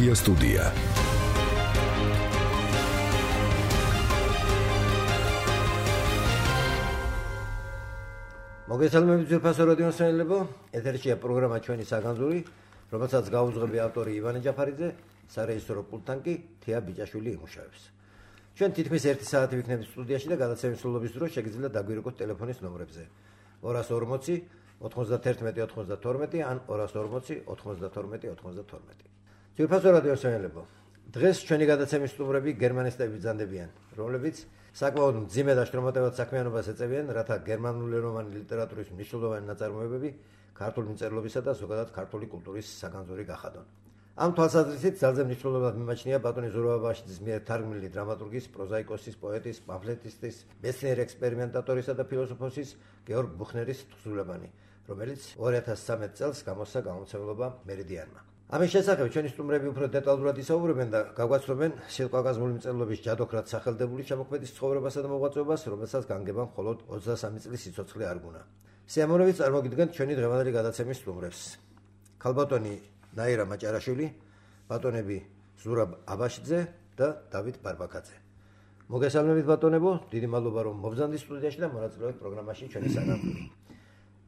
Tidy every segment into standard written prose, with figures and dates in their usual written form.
Media Studia. მოგესალმებით ძვირფასო რადიო მსმენელებო, ეთერშია პროგრამა ჩვენი საგანძური, რომელსაც გაუძღვები ავტორი ივანე ჯაფარიძე, სარეჟისორო პულტთან კი თეა ბიჭაშვილი იმუშავებს. ჩვენ თითქმის 1 საათი ვიქნებით სტუდიაში და გადაცემის სრულობის დროს შეგიძლიათ დაგვირეკოთ ტელეფონის ნომრებზე 240 91 92 ან 240 92 92. ძვირფასო რადიო მსმენელებო, დღეს ჩვენი გადაცემის სტუმრები გერმანისტები ბრძანდებიან, რომლებიც საკმაოდ მძიმე და შრომატევად საქმიანობას ეწევიან, რათა გერმანულენოვანი ლიტერატურის მნიშვნელოვანი ნაწარმოებები ქართული მწერლობისა და ზოგადად ქართული კულტურის საგანძური გახადონ. ამ თვალსაზრისით ძალზე მნიშვნელოვნად მიმაჩნია ბატონი ზურაბ აბაშიძის მიერ თარგმნილი დრამატურგის, პროზაიკოსის, პოეტის, პამფლეტისტის, მეცნიერ ექსპერიმენტატორისა და ფილოსოფოსის გეორგ ბუხნერის თხზულებანი, რომელიც 2013 წელს გამოსცა გამომცემლობა მერიდიანმა. ამის შესახებ ჩვენი სტუმრები უფრო დეტალურად ისაუბრებენ და გაგვაცნობენ სილკვაკაზმული მწერლობის ჯადოქრად სახელდებული შემოქმედის ცხოვრებასა და მოღვაწეობას, რომელსაც განგება მხოლოდ 23 წლის სიცოცხლე არ გუნა. სიამოვნებით წარმოგიდგენთ ჩვენი დღევანდელი გადაცემის სტუმრებს. ქალბატონი ნაირა მაჭარაშვილი, ბატონები ზურაბ აბაშიძე და დავით ბარბაკაძე. მოგესალმებით ბატონებო, დიდი მადლობა რომ მობრძანდით სტუდიაში და მონაწილეობთ პროგრამაში ჩვენი საგანძური.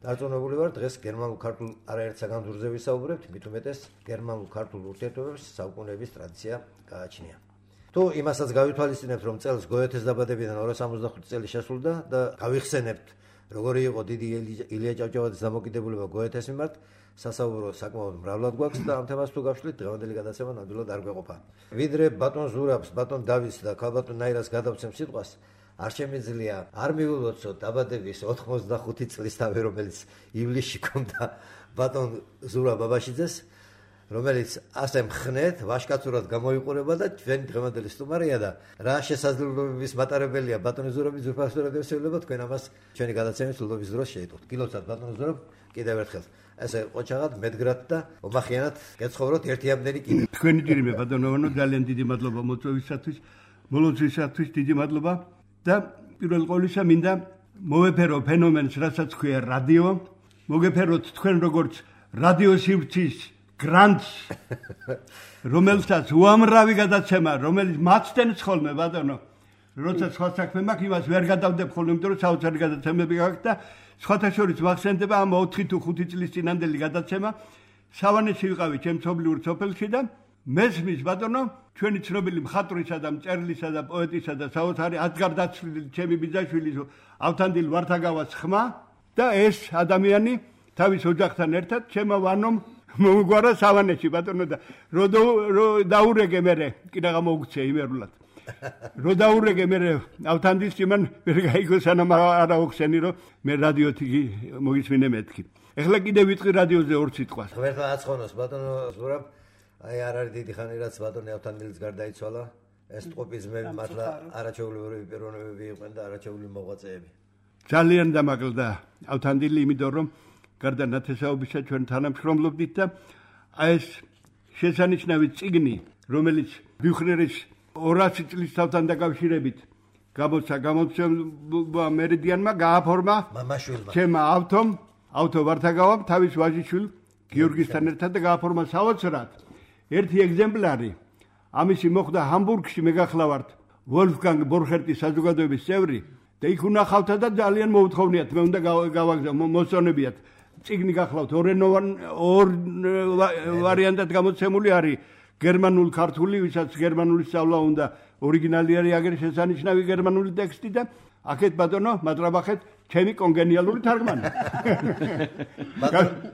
დარწმუნებული ვარ, დღეს გერმანულ-ქართულ არაერთ საგანძურზე ვისაუბრებთ, მით უმეტეს გერმანულ-ქართულ ურთიერთობებს საუკუნეების ტრადიცია გააჩნია. თუ იმასაც გავითვალისწინებთ, რომ წელს გოეთეს დაბადებიდან 265 წელი შესრულდა და გავიხსენებთ, როგორი იყო დიდი ილია ჭავჭავაძის დამოკიდებულება გოეთეს მიმართ, სასაუბრო საკმაოდ მრავლად გვაქვს და ამ თემას თუ გავშლით, დღევანდელი გადაცემა ნამდვილად არ გვეყოფა. ვიდრე ბატონ ზურაბს, ბატონ დავითს და ქალბატონ ნაირას გადავცემ სიტყვას, არ შემიძლია არ მივულოცოთ დაბადების 85 წლის თავი, რომელიც ივლისში ჰქონდა ბატონ ზურაბ აბაშიძეს, რომელიც ასე მხნეთ, ვაშკაცურად გამოიყურება და ჩვენ დღევანდელი სტუმარია და რა შესაძლებლობების მატარებელია ბატონი ზურაბი ძვირფასო რადიო მსმენელებო, თქვენ ამას ჩვენი გადაცემის სრულობის დროს შეიტყოთ. გილოცავთ ბატონ ზურაბ, კიდევ ერთხელ ესე ყოჩაღად, მედგრად და ომახიანად გეცხოვროთ ერთიამდენი კიდე. თქვენი ძირიმე ბატონოვანო, ძალიან დიდი მადლობა მოწვევისათვის, მოლოძვისათვის დიდი მადლობა. და პირველ ყოვლისა მინდა მოვეფერო ფენომენს, რასაც ქვია რადიო, მოგეფეროთ თქვენ როგორც რადიო სივრცის გრანტს, რომელსაც უამრავი გადაცემა, რომელიც მაცდენს ხოლმე ბატონო, როცა სხვა საქმე მაქვს, იმას ვერ გადავდებ ხოლმე, იმიტომ რომ საოცარი გადაცემები გაქვს და სხვათა შორის მახსენდება ამ 4 თუ 5 წლის წინანდელი გადაცემა, სავანეში ვიყავი ჩემ მშობლიურ სოფელში და მესმის ბატონო, ჩვენი ცნობილი მხატვრისა და მწერლისა და პოეტისა და საოცარი ათგარდაცვლილი ჩემი ბიძაშვილის ავთანდილ ვართაგავას ხმა და ეს ადამიანი თავის ოჯახთან ერთად ჩემო ვანომ მოუგვარა სავანეში ბატონო და რო დაურეგე მე კიდე გამოგცე იმერულად. რო დაურეგე მე ავთანდილს იმან ვერ გაიგო სანამ არ აუხსენი რომ მე რადიოთი მოგისმინე მეთქი. ეხლა კიდე ვიტყვი რადიოზე 2 სიტყვას. ღმერთმა აცხონოს ბატონო ზურაბ, აი არ არის დიდი ხანი რაც ბატონი ავთანდილის გარდაიცვალა, ეს ტყუპიზმები მართლა არაჩვეულებრივი პიროვნებები იყვნენ და არაჩვეულები მოღვაწეები. ძალიან დამაკლდა ავთანდილი, იმიტომ რომ გარდა ნათესაობისა ჩვენ თანამშრომლობდით და აი ეს შესანიშნავი წიგნი, რომელიც ბუხნერის 200 წლის თავთან დაკავშირებით გამოსცა გამომცემლობა მერიდიანმა, გააფორმა მამაშვილმა ჩემმა ავთო ვართაგავამ თავის ვაჟიშვილ გიორგისთან ერთად და გააფორმა საოცრად ერთი ეგზემპლარი. ამისი მოხდა ჰამბურგში, მე გახლავართ ვოლფგანგ ბორხერტის საზოგადოების წევრი და იქ უნახავთა და ძალიან მოუთხოვნიათ, მე უნდა გავაგზავნო, მოსწონებიათ. წიგნი გახლავთ ორ ვარიანტად გამოცემული არის, გერმანულ-ქართული, ვისაც გერმანული სწავლა უნდა, ორიგინალი არის აგერ შესანიშნავი გერმანული ტექსტი და აქეთ ბატონო, მატრაბახეთ ჩემი კონგენიალური თარგმანი.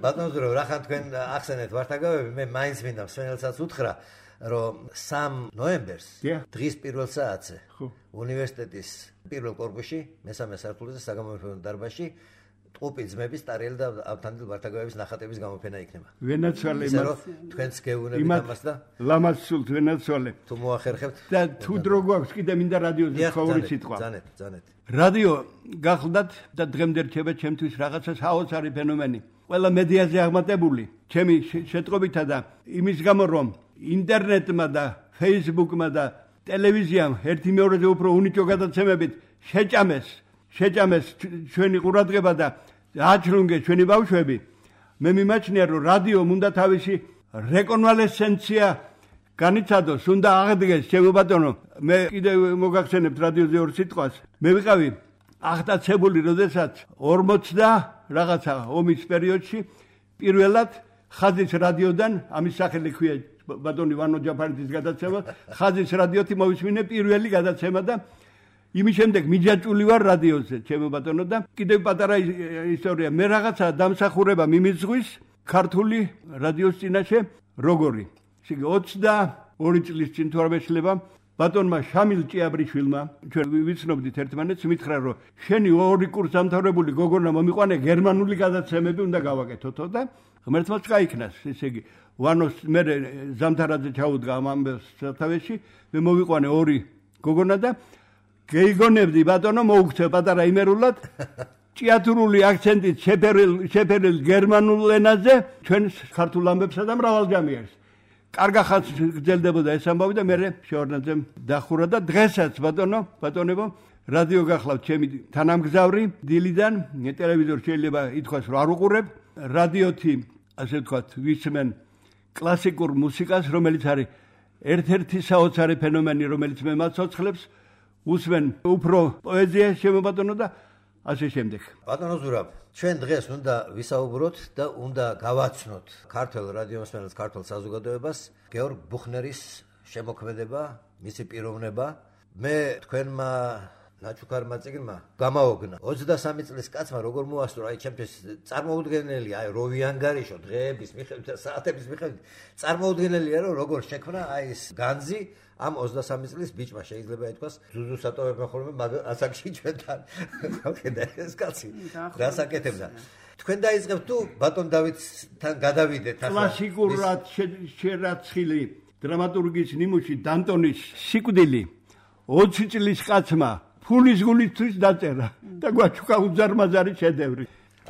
ბატონო ზურაბ, რახან თქვენ ახსენეთ ვართაგავები, მე მაინც მინდა მსმენელსაც უთხრა, რომ 3 ნოემბერს დღის პირველ საათზე უნივერსიტეტის პირველ კორპუსში, მესამე სართულზე საგამომრჩევლო დარბაზში ტყუპი ძმების ტარიელი და ავთანდილ ვართაგავების ნახატების გამოფენა იქნება. ვენაცვალე იმას თქვენც გეუბნებით ამას და ლამაზ სულთ ვენაცვალე. თუ მოახერხებთ და თუ დრო გვაქვს კიდე მინდა რადიოზე ყოველი სიტყვა. ძანეთ. რადიო გახლდათ და დღემდე რჩება ჩემთვის რაღაცა საოცარი ფენომენი. ყველა მედიაზე აღმატებული, ჩემი შეტყობითა და იმის გამო რომ ინტერნეტმა და ფეისბუქმა და ტელევიზიამ ერთი მეორეზე უფრო უნიჭო გადაცემებით შეჭამეს ჩვენი ყურადღება და აჩრუნგეს ჩვენი ბავშვები. მე მიმაჩნია რომ რადიომ უნდა თავისი რეკონვალესცენცია განიცადოს, უნდა აღდგეს, ჩემო ბატონო, მე კიდევ მოგახსენებთ რადიოზე ორ სიტყვას. მე ვიყავი აღტაცებული, როდესაც 40 რაღაცა ომის პერიოდში პირველად ხაზის რადიოდან ამის სახელი ქვია ბატონი ვანო ჯაფარიძის გადაცემა, ხაზის რადიოთი მოვისმინე პირველი გადაცემა და იმის შემდეგ მიჯაჭვული ვარ რადიოზე, ჩემო ბატონო და კიდევ პატარა ისტორია. მე რაღაცა დამსახურება მიმიძღვის ქართული რადიოს წინაშე როგორი. ისე 22 წლის წინ თუ არ მეშლება ბატონმა შამილ ჭიაბრიშვილმა ჩვენ ვიცნობდით ერთმანეთს მითხრა რომ შენი ორი კურსდამთავრებული გოგონა მომიყვანე გერმანული გადაცემები უნდა გავაკეთოთო და ღმერთმა წაიქნას ესე იგი ვანოს მე ზამთარაძე ჩაუდგა ამ ამბებს სათავეში მე მოვიყვანე ორი გოგონა და გეიგონებდი ბატონო მოუქცე პატარა იმერულად ჭიათურული აქცენტით შეფერილ გერმანულ ენაზე ჩვენ ქართულ ამბებსა და მრავალჯამიერს კარგა ხალხს გძელდებოდა ეს ამბავი და მე შევარდნაძემ დახურა და დღესაც ბატონებო რადიო გახლავთ ჩემი თანამგზავრი დილიდან ტელევიზორ შეიძლება ითქვას რომ არ უყურებ რადიოთი ასე ვთქვათ ვისმენ კლასიკურ მუსიკას რომელიც არის ერთ-ერთი საოცარი ფენომენი რომელიც მე მაცოცხლებს უსმენ უფრო პოეზიას ჩემო ბატონო და ასე შემდეგ. ბატონო ზურაბ, ჩვენ დღეს უნდა ვისაუბროთ და უნდა გავაცნოთ ქართულ რადიომსმენელს, ქართულ საზოგადოებას გეორგ ბუხნერის შემოქმედება, მისი პიროვნება. მე თქვენმა ნაჩუქარმა წიგნმა გამაოგნა 23 წლის კაცმა როგორ მოასწრო, აი ჩემთვის წარმოუდგენელია, აი როვიანგარიშო დღეების მიხედვით და საათების მიხედვით წარმოუდგენელია რომ როგორ შექმნა აი ეს განძი ამ 23 წლის ბიჭმა შეიძლება ითქვას ზუზუ სატოვებმა ხოლმე ასაკში ჩვენთან ხალხედა ეს კაცი რასაკეთებდა თქვენ დაიწყებთ თუ ბატონ დავითთან გადავიდეთ ახლა კლასიკურად შერაცხილი დრამატურგის ნიმუში დანტონის სიკვდილი 20 წლის კაცმა ფულის გულისთვის დაწერა და გვაჩუქა უზარმაზარი შედევრი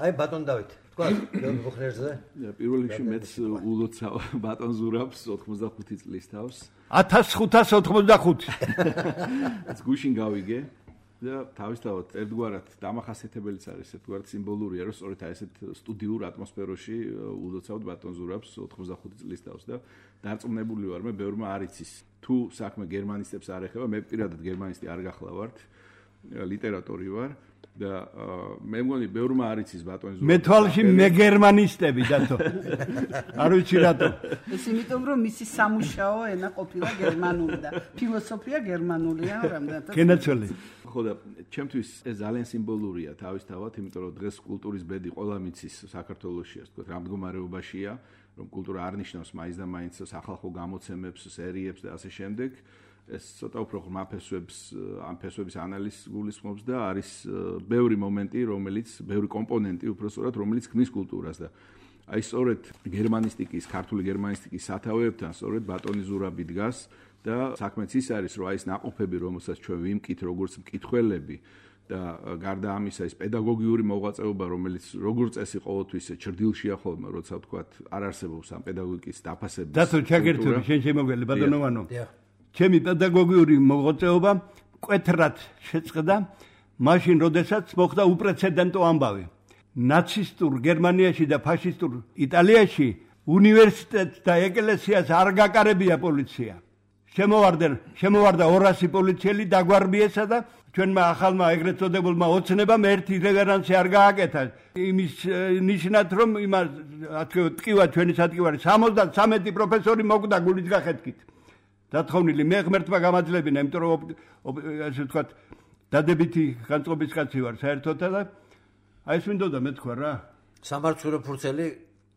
აი ბატონ დავით თქვა გეორგ ბუხნერზე პირველ რიგში მეც ულოცავ ბატონ ზურაბს 85 წლის თავს 1585 ეს გუშინ გავიგე და თავისთავად ერთგვარად დამახასიათებელიც არის ერთგვარად სიმბოლურია რომ სწორედ ასეთ სტუდიურ ატმოსფეროში ულოცავთ ბატონ ზურაბს 85 წლის თავს და დარწმუნებული ვარ მე ბევრმა არ იცის თუ საქმე გერმანისტებს არ ეხება მე პირადად გერმანისტი არ გახლავართ ლიტერატორი ვარ და მე მგონი ბევრმა არ იცის ბატონ ზურაბს მე თვალში მე გერმანისტები დათო არ ვიცი რატო ეს იმიტომ რომ მისი სამუშაო ენა ყოფილა გერმანული და ფილოსოფია გერმანულია რამდენად გენაცველი ხო და ჩემთვის ეს ძალიან სიმბოლურია თავისთავად იმიტომ რომ დღეს კულტურის ბედი ყველა მიცის საქართველოში ასე ვთქვათ რამდგომარეობაშია რომ კულტურა არ ნიშნავს მაინც და მაინც სახალხო გამოცემებს სერიებს და ასე შემდეგ ეს ცოტა უფრო ღრმა ფესვებს ამ ფესვების ანალიზს გულისხმობს და არის ბევრი მომენტი რომელიც ბევრი კომპონენტი უბრალოდ რომელიც ქმნის კულტურას და აი სწორედ გერმანისტიკის ქართული გერმანისტიკის სათავეებთან სწორედ ბატონი ზურაბი დგას და საქმეც ის არის რომ აი ეს ნაყოფები რომელსაც ჩვენ ვიმკით როგორც მკითხველები და გარდა ამისა ეს პედაგოგიური მოღვაწეობა რომელიც როგორც წესი ყოველთვის ჭრდილშია ხოლმე როცა ვთქვათ არ არსებობს ამ პედაგოგიკის დაფასების დათო ჩაგერთული შენ შემოგველი ბატონოვანო ჩემი პედაგოგიური მოღვაწეობა მკვეთრად შეწყდა მაშინ როდესაც მოხდა უპრეცედენტო ამბავი ნაცისტურ გერმანიაში და ფაშისტურ იტალიაში უნივერსიტეტს და ეკლესიას არ გაკარებია პოლიცია შემოვარდა 200 პოლიციელი დაგვარბიესა და ჩვენმა ახალმა ეგრეთ წოდებულმა ოცნებამ ერთი რევერანსი არ გააკეთა იმის ნიშნად რომ იმას ტკივა ჩვენი სატკივარი 73 პროფესორი მოკვდა გულის გახეთქით დათხოვნილი მე ღმერთმა გამაძლებინა იმიტომ რომ ასე ვთქვათ დადებითი განწყობის კაცი ვარ საერთოდ და აი ეს მინდოდა მე თქვა რა სამარცხვინო ფურცელი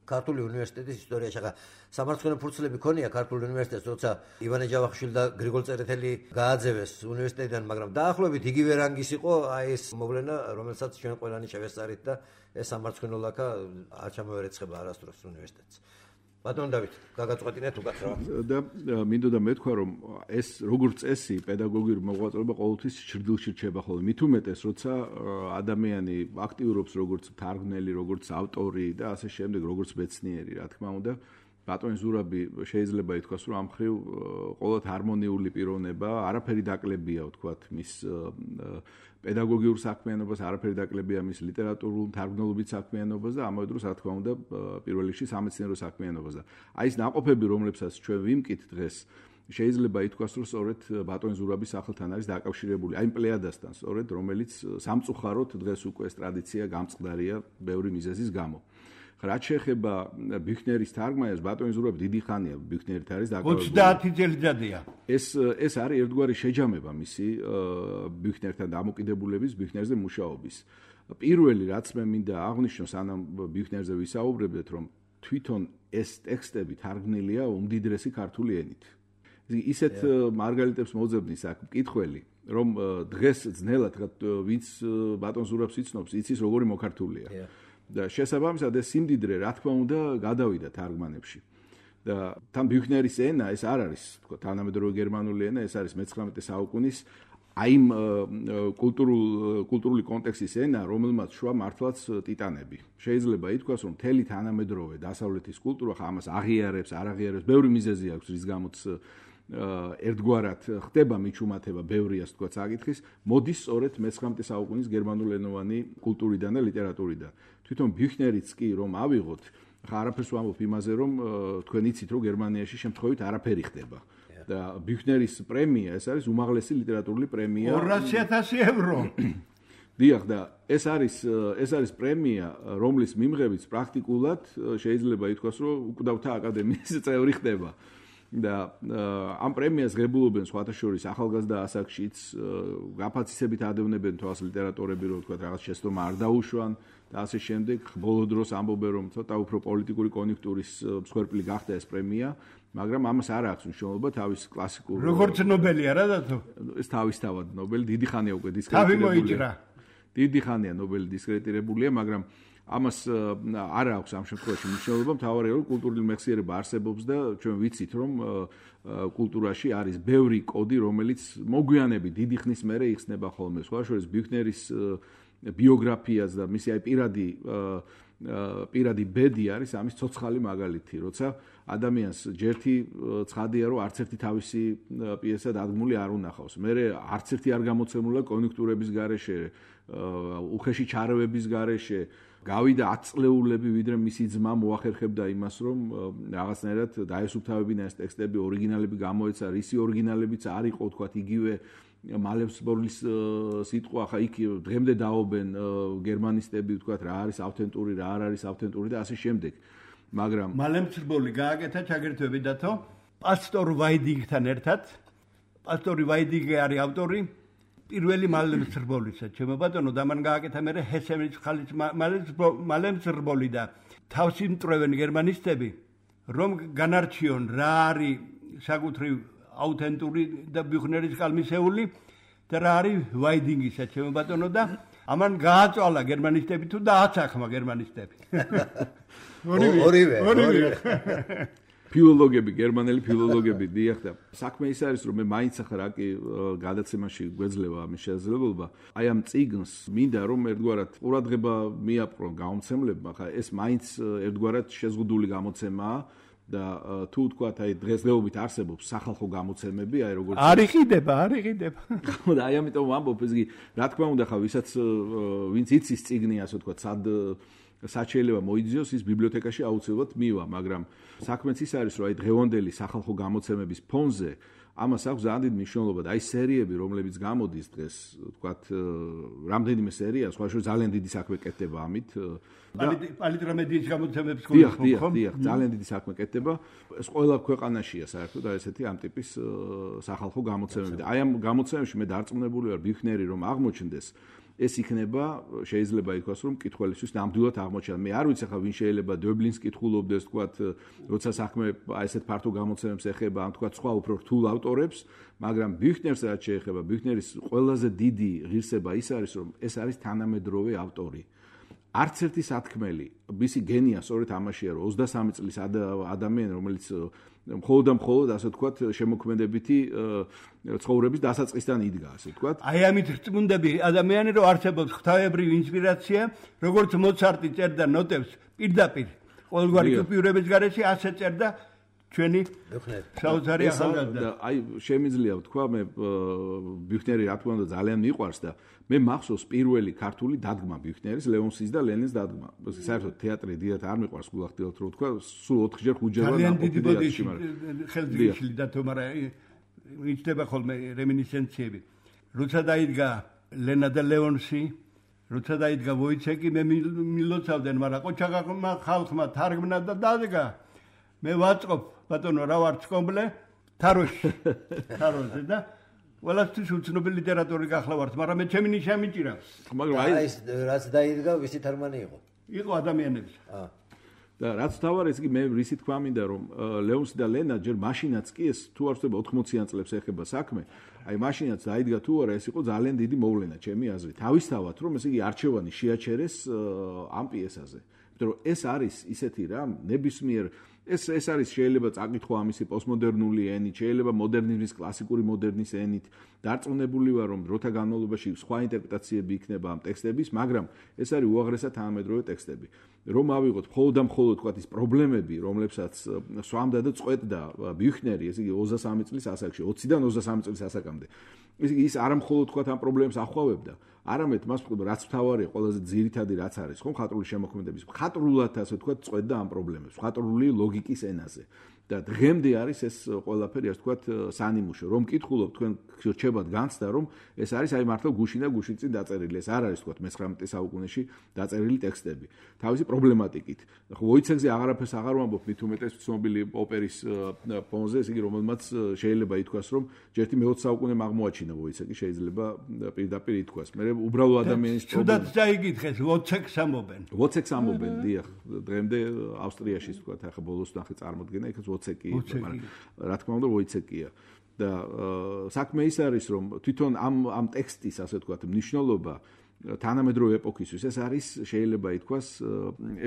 ქართული უნივერსიტეტის ისტორიაში ახლა სამარცხვინო ფურცლები ქონია ქართული უნივერსიტეტს როცა ივანე ჯავახიშვილი და გრიგოლ წერეთელი გააძევეს უნივერსიტეტიდან მაგრამ დაახლოებით იგივე რანგის იყო აი ეს მოვლენა რომელსაც ჩვენ ყველანი შევესწარით და ეს სამარცხვინო ლაქა არ ჩამოერეცხება არასდროს უნივერსიტეტს ბატონ დავით გაგაწყვეტინეთ უკაცრავად და მინდოდა მეთქვა რომ ეს როგორც წესი პედაგოგიური მოღვაწეობა ყოველთვის ჭრდილში რჩება ხოლმე მით უმეტეს როცა ადამიანი აქტიურობს როგორც მთარგმნელი როგორც ავტორი და ასე შემდეგ როგორც მეცნიერი რა თქმა უნდა ბატონი ზურაბი შეიძლება ითქვას, რომ ამ მხრივ ყოველთ ჰარმონიული პიროვნება, არაფერი დაკლებია, ვთქვათ, მის პედაგოგიურ საქმიანობას, არაფერი დაკლებია მის ლიტერატურულ თარგმნობით საქმიანობას და ამავე დროს, რა თქმა უნდა, პირველ რიგში სამეცნიერო საქმიანობას და აი ეს ნაყოფები, რომლებსაც ჩვენ ვიმკით დღეს, შეიძლება ითქვას, რომ სწორედ ბატონი ზურაბის სახელთან არის დაკავშირებული, აი პლეიადასთან, სწორედ რომელიც სამწუხაროდ დღეს უკვე ეს ტრადიცია გამწყდარია ბევრი მიზეზის გამო. რაც შეეხება ბიუქნერის თარგმანას, ბატონი ზურაბი დიდი ხანია ბიუქნერით არის დაკავშირებული. 30 წელიწადია. ეს არის ერთგვარი შეჯამება მისი ბიუქნერთან დამოკიდებულების, ბიუქნერზე მუშაობის. პირველი რაც მე მინდა აღვნიშნო, სანამ ბიუქნერზე ვისაუბრებდეთ, რომ თვითონ ეს ტექსტები თარგმნილია უმდიდრესი ქართული ენით. ისეთ მარგალიტებს მოძებნის აქ მკითხველი, რომ დღეს ძნელად ვინც ბატონ ზურაბს იცნობს, იცის როგორი მოქართულია. და შესაბამისად ეს სიმდიდრე, რა თქმა უნდა, გადავიდა თარგმანებში. და თან ბიუქნერის ენა ეს არ არის, თქო, თანამედროვე გერმანული ენა, ეს არის მე-19 საუკუნის აი კულტურული კონტექსტის ენა, რომელმაც შვა მართლაც ტიტანები. შეიძლება ითქვას, რომ მთელი თანამედროვე დასავლეთის კულტურა ამას აღიარებს, არ აღიარებს, ბევრი მიზეზი აქვს, რის გამოც ერთგვარად ხდება მიჩუმათება ბევრი ასე თქვა საკითხის, მოდის სწორედ მე-19 საუკუნის გერმანულენოვანი კულტურიდან და ლიტერატურიდან. თვითონ ბიუქნერიც კი რომ ავიღოთ, ხა არაფერს ვამბობ იმაზე, რომ თქვენ იცით, რომ გერმანიაში შემთხვევით არაფერი ხდება. და ბიუქნერის პრემია, ეს არის უმაღლესი ლიტერატურული პრემია. 200,000 ევრო. დიახ, და ეს არის პრემია, რომლის მიმღებიც პრაქტიკულად შეიძლება ითქვას, რომ უკვდავთა აკადემიის წევრი ხდება. და ამ პრემიას ღებულობენ სხვათა შორის ახალგაზრდა ასაკშიც, გაფაცისებით ადევნებენ თავს ლიტერატორები, რომ თქვა რაღაც შეცდომა არ დაუშვან და ასე შემდეგ. ბოლო დროს ამბობენ, რომ ცოტა უფრო პოლიტიკური კონიუნქტურის მსხვერპლი გახდა ეს პრემია, მაგრამ ამას არ აქვს მნიშვნელობა თავის კლასიკურ. როგორც ნობელია რა დათო? ეს თავისთავად ნობელი დიდი ხანია უკვე თავი დისკრედიტირებულია. მოიჭრა. დიდი ხანია ნობელი დისკრედიტირებულია, მაგრამ ამას არ აქვს ამ შემთხვევაში მნიშვნელობა, მთავარია რომ კულტურული მეხსიერება არსებობს და ჩვენ ვიცით რომ კულტურაში არის ბევრი კოდი, რომელიც მოგვიანებით დიდი ხნის მერე იხსნება ხოლმე. სხვა შორის ბიუქნერის ბიოგრაფიას და მისი აი პირადი ბედი არის ამის ცოცხალი მაგალითი, როცა ადამიანს ჯერთი ცხადია რომ არც ერთი თავისი პიესა დადგმული არ უნახავს. მერე არც ერთი არ გამოცემულა კონიუნქტურების გარეშე, უხეში ჩარევების გარეშე. გავიდა 10 წლეულები, ვიდრე მისი ძმა მოახერხებდა იმას, რომ რაღაცნაირად დაესუფთავებინა ეს ტექსტები, ორიგინალები გამოეცა, რისი ორიგინალებიც არ იყო, თქვათ, იგივე მალემსბორლის სიტყვა, ხა იქ დღემდე დაობენ გერმანისტები, თქვათ, რა არის ავთენტური, რა არ არის ავთენტური და ასე შემდეგ. მაგრამ მალემსბორლი გააკეთა ჩაგერთვები დათო, პასტორ ვაიდინგთან ერთად. პასტორი ვაიდინგი არის ავტორი პირველი მალემსრბოლისა, ჩემო ბატონო, და მან გააკეთა მერე ჰესემის ხალის მალემსრბოლი და თავში მტრევენ გერმანისტები, რომ განარჩიონ რა არის საკუთრივ აუთენტური და ბიუქნერის კალმისეული და რა არის ვაიდინგისა, ჩემო ბატონო, და ამან გააწვალა გერმანისტები თუ დააცახმა გერმანისტები. ორივე. ფილოლოგები, გერმანელი ფილოლოგები დიახ და საქმე ის არის რომ მე მაინც ახლა კი გადაცემაში გვეძლევა ამის შესაძლებლობა. აი ამ წიგნს მინდა რომ ერთგვარად ყურადღება მიაპყრონ გამომცემლებმა, ხა ეს მაინც ერთგვარად შეზღუდული გამოცემაა და თუ თქვათ აი დღესდღეობით არსებობს სახალხო გამოცემები, აი როგორც არ იყიდება. და აი ამიტომ ვამბობ ეს კი რა თქმა უნდა ხა ვინც იცის წიგნი ასე ვთქვათ, სად შეიძლება მოიძიოს ის ბიბლიოთეკაში აუცილებლად მივა, მაგრამ საქმეც ის არის, რომ აი დღევანდელი სახალხო გამოცემების ფონზე ამას აქვს ძალიან დიდი მნიშვნელობა და აი სერიები, რომლებიც გამოდის დღეს, ვთქვათ, რამდენიმე სერია, სხვა შორის ძალიან დიდი საქმე კეთდება ამით. პალიტრამედიის გამოცემების დიახ, ძალიან დიდი საქმე კეთდება. ეს ყველა ქვეყანაშია საერთოდ და ესეთი ამ ტიპის სახალხო გამოცემები. და აი ამ გამოცემებში მე დარწმუნებული ვარ ბიუქნერი რომ აღმოჩნდეს ეს იქნება შეიძლება ითქვას რომ მკითხველისთვის ნამდვილად აღმოჩნდა. მე არ ვიცი ხა ვინ შეიძლება დოიბლინს კითხულობდეს, თქვათ, როცა საქმე ესეთ ფართო გამოცემებს ეხება, ან თქვათ სხვა უფრო რთულ ავტორებს, მაგრამ ბიუქნერს რაც შეეხება, ბიუქნერის ყველაზე დიდი ღირსება ის არის, რომ ეს არის თანამედროვე ავტორი. არც ერთი სათქმელი, მისი გენია სწორედ ამაშია, რომ 23 წლის ადამიანი, რომელიც მხოლოდ ასე ვთქვათ, შემოქმედებითი ცხოვრების დასაწყისთან იდგა, ასე ვთქვათ. აი ამით რწმუნდები ადამიანი, რომ არსებობს ღვთაებრივი ინსპირაცია, როგორც მოცარტი წერდა ნოტებს პირდაპირ ყოველგვარი კუპიურების გარეშე ასე წერდა ჩვენი საოცარი ახალგაზრდა. აი შემიძლია ვთქვა მე ბიუხნერი რა თქმა უნდა ძალიან მიყვარს და მე მახსოვს პირველი ქართული დადგმა ბიუხნერის ლეონსის და ლენინის დადგმა. საერთოდ თეატრი დიათ არ მიყვარს გულახდილად რო ვთქვა, სულ 4-ჯერ 5-ჯერ ძალიან დიდი ბოდიში ხელძიშილი დათო, მაგრამ იჩდება ხოლმე რემინისცენციები. როცა დაიდგა ლენა და ლეონსი, როცა დაიდგა ვოიცეკი, მე მილოცავდნენ, მაგრამ ყოჩაღმა ხალხმა თარგმნა და დადგა. მე ვაწყობ ბატონო რა ვარ ცკომბლე თაროში და ყველასთვის უცნობი ლიტერატური გახლა ვართ, მაგრამ მე ჩემი ნიშა მიჭირა. მაგრამ აი ეს რაც დაიდგა, ვისი თარგმანი იყო? იყო ადამიანების. და რაც თავარ ეს კი მე რისი თქვა მინდა რომ ლეონსი და ლენა ჯერ მაშინაც კი ეს თუ არ ვწდება 80-იან წლებს ეხება საქმე, აი მაშინაც დაიდგა თუ არა ეს იყო ძალიან დიდი მოვლენა ჩემი აზრით. თავისთავად რომ ეს იგი არჩევანი შეაჩერეს ამ პიესაზე. იმიტომ რომ ეს არის ისეთი რამ ნებისმიერ ეს არის შეიძლება წაკითხვა ამისი პოსტმოდერნული ენით, შეიძლება მოდერნიზმის კლასიკური მოდერნის ენით დარწმუნებული ვარ რომ დროთა განმავლობაში სხვა ინტერპრეტაციები იქნება ამ ტექსტების, მაგრამ ეს არის უაღრესად თანამედროვე ტექსტები. რომ ავიღოთ მხოლოდ და მხოლოდ თქვათ ის პრობლემები, რომლებსაც სვამდა და წყვეტდა ბიუხნერი, ესე იგი 23 წლის ასაკში, 20-დან 23 წლის ასაკამდე. ესე იგი ის არა მხოლოდ თქვათ ამ პრობლემებს ახვავებდა, არამედ მას რაც მთავარია, ყველაზე ძირითადი რაც არის, ხო, მხატვრული შემოქმედების, მხატვრულად ასე ვთქვათ, წყვეტდა ამ პრობლემებს, მხატვრული ლოგიკის ენაზე. და დღემდე არის ეს ყველაფერი, ასე ვთქვათ, სანიმუშო. რომ კითხულობ თქვენ რჩებათ განცდა, რომ ეს არის აი მართლა გუშინ და გუშინ წინ დაწერილი. ეს არ არის, ვთქვათ, მე-19 საუკუნეში დაწერილი ტექსტები. თავისი პრობლემატიკით. ხო, ვოიცეკზე აღარაფერს აღარ ვამბობ, მით უმეტეს ცნობილი ოპერის ფონზე, ესე იგი, რომელმაც შეიძლება ითქვას, რომ ჯერთი მე-20 საუკუნემ აღმოაჩინა ვოიცეკი, შეიძლება პირდაპირ ითქვას. მე უბრალო ადამიანის პრობლემა. თუდად წაიგითხეს, ვოცეკს ამობენ. ვოცეკს ამობენ, დიახ, დღემდე ავსტრიაში, ვთქვათ, ახლა ბოლოს ნახე წარმოდგენა, იქაც ვოცეკი, მაგრამ რა თქმა უნდა ვოიცეკია. და საქმე ის არის, რომ თვითონ ამ ტექსტის, ასე ვთქვათ, მნიშვნელობა თანამედროვე ეპოქისთვის ეს არის, შეიძლება ითქვას,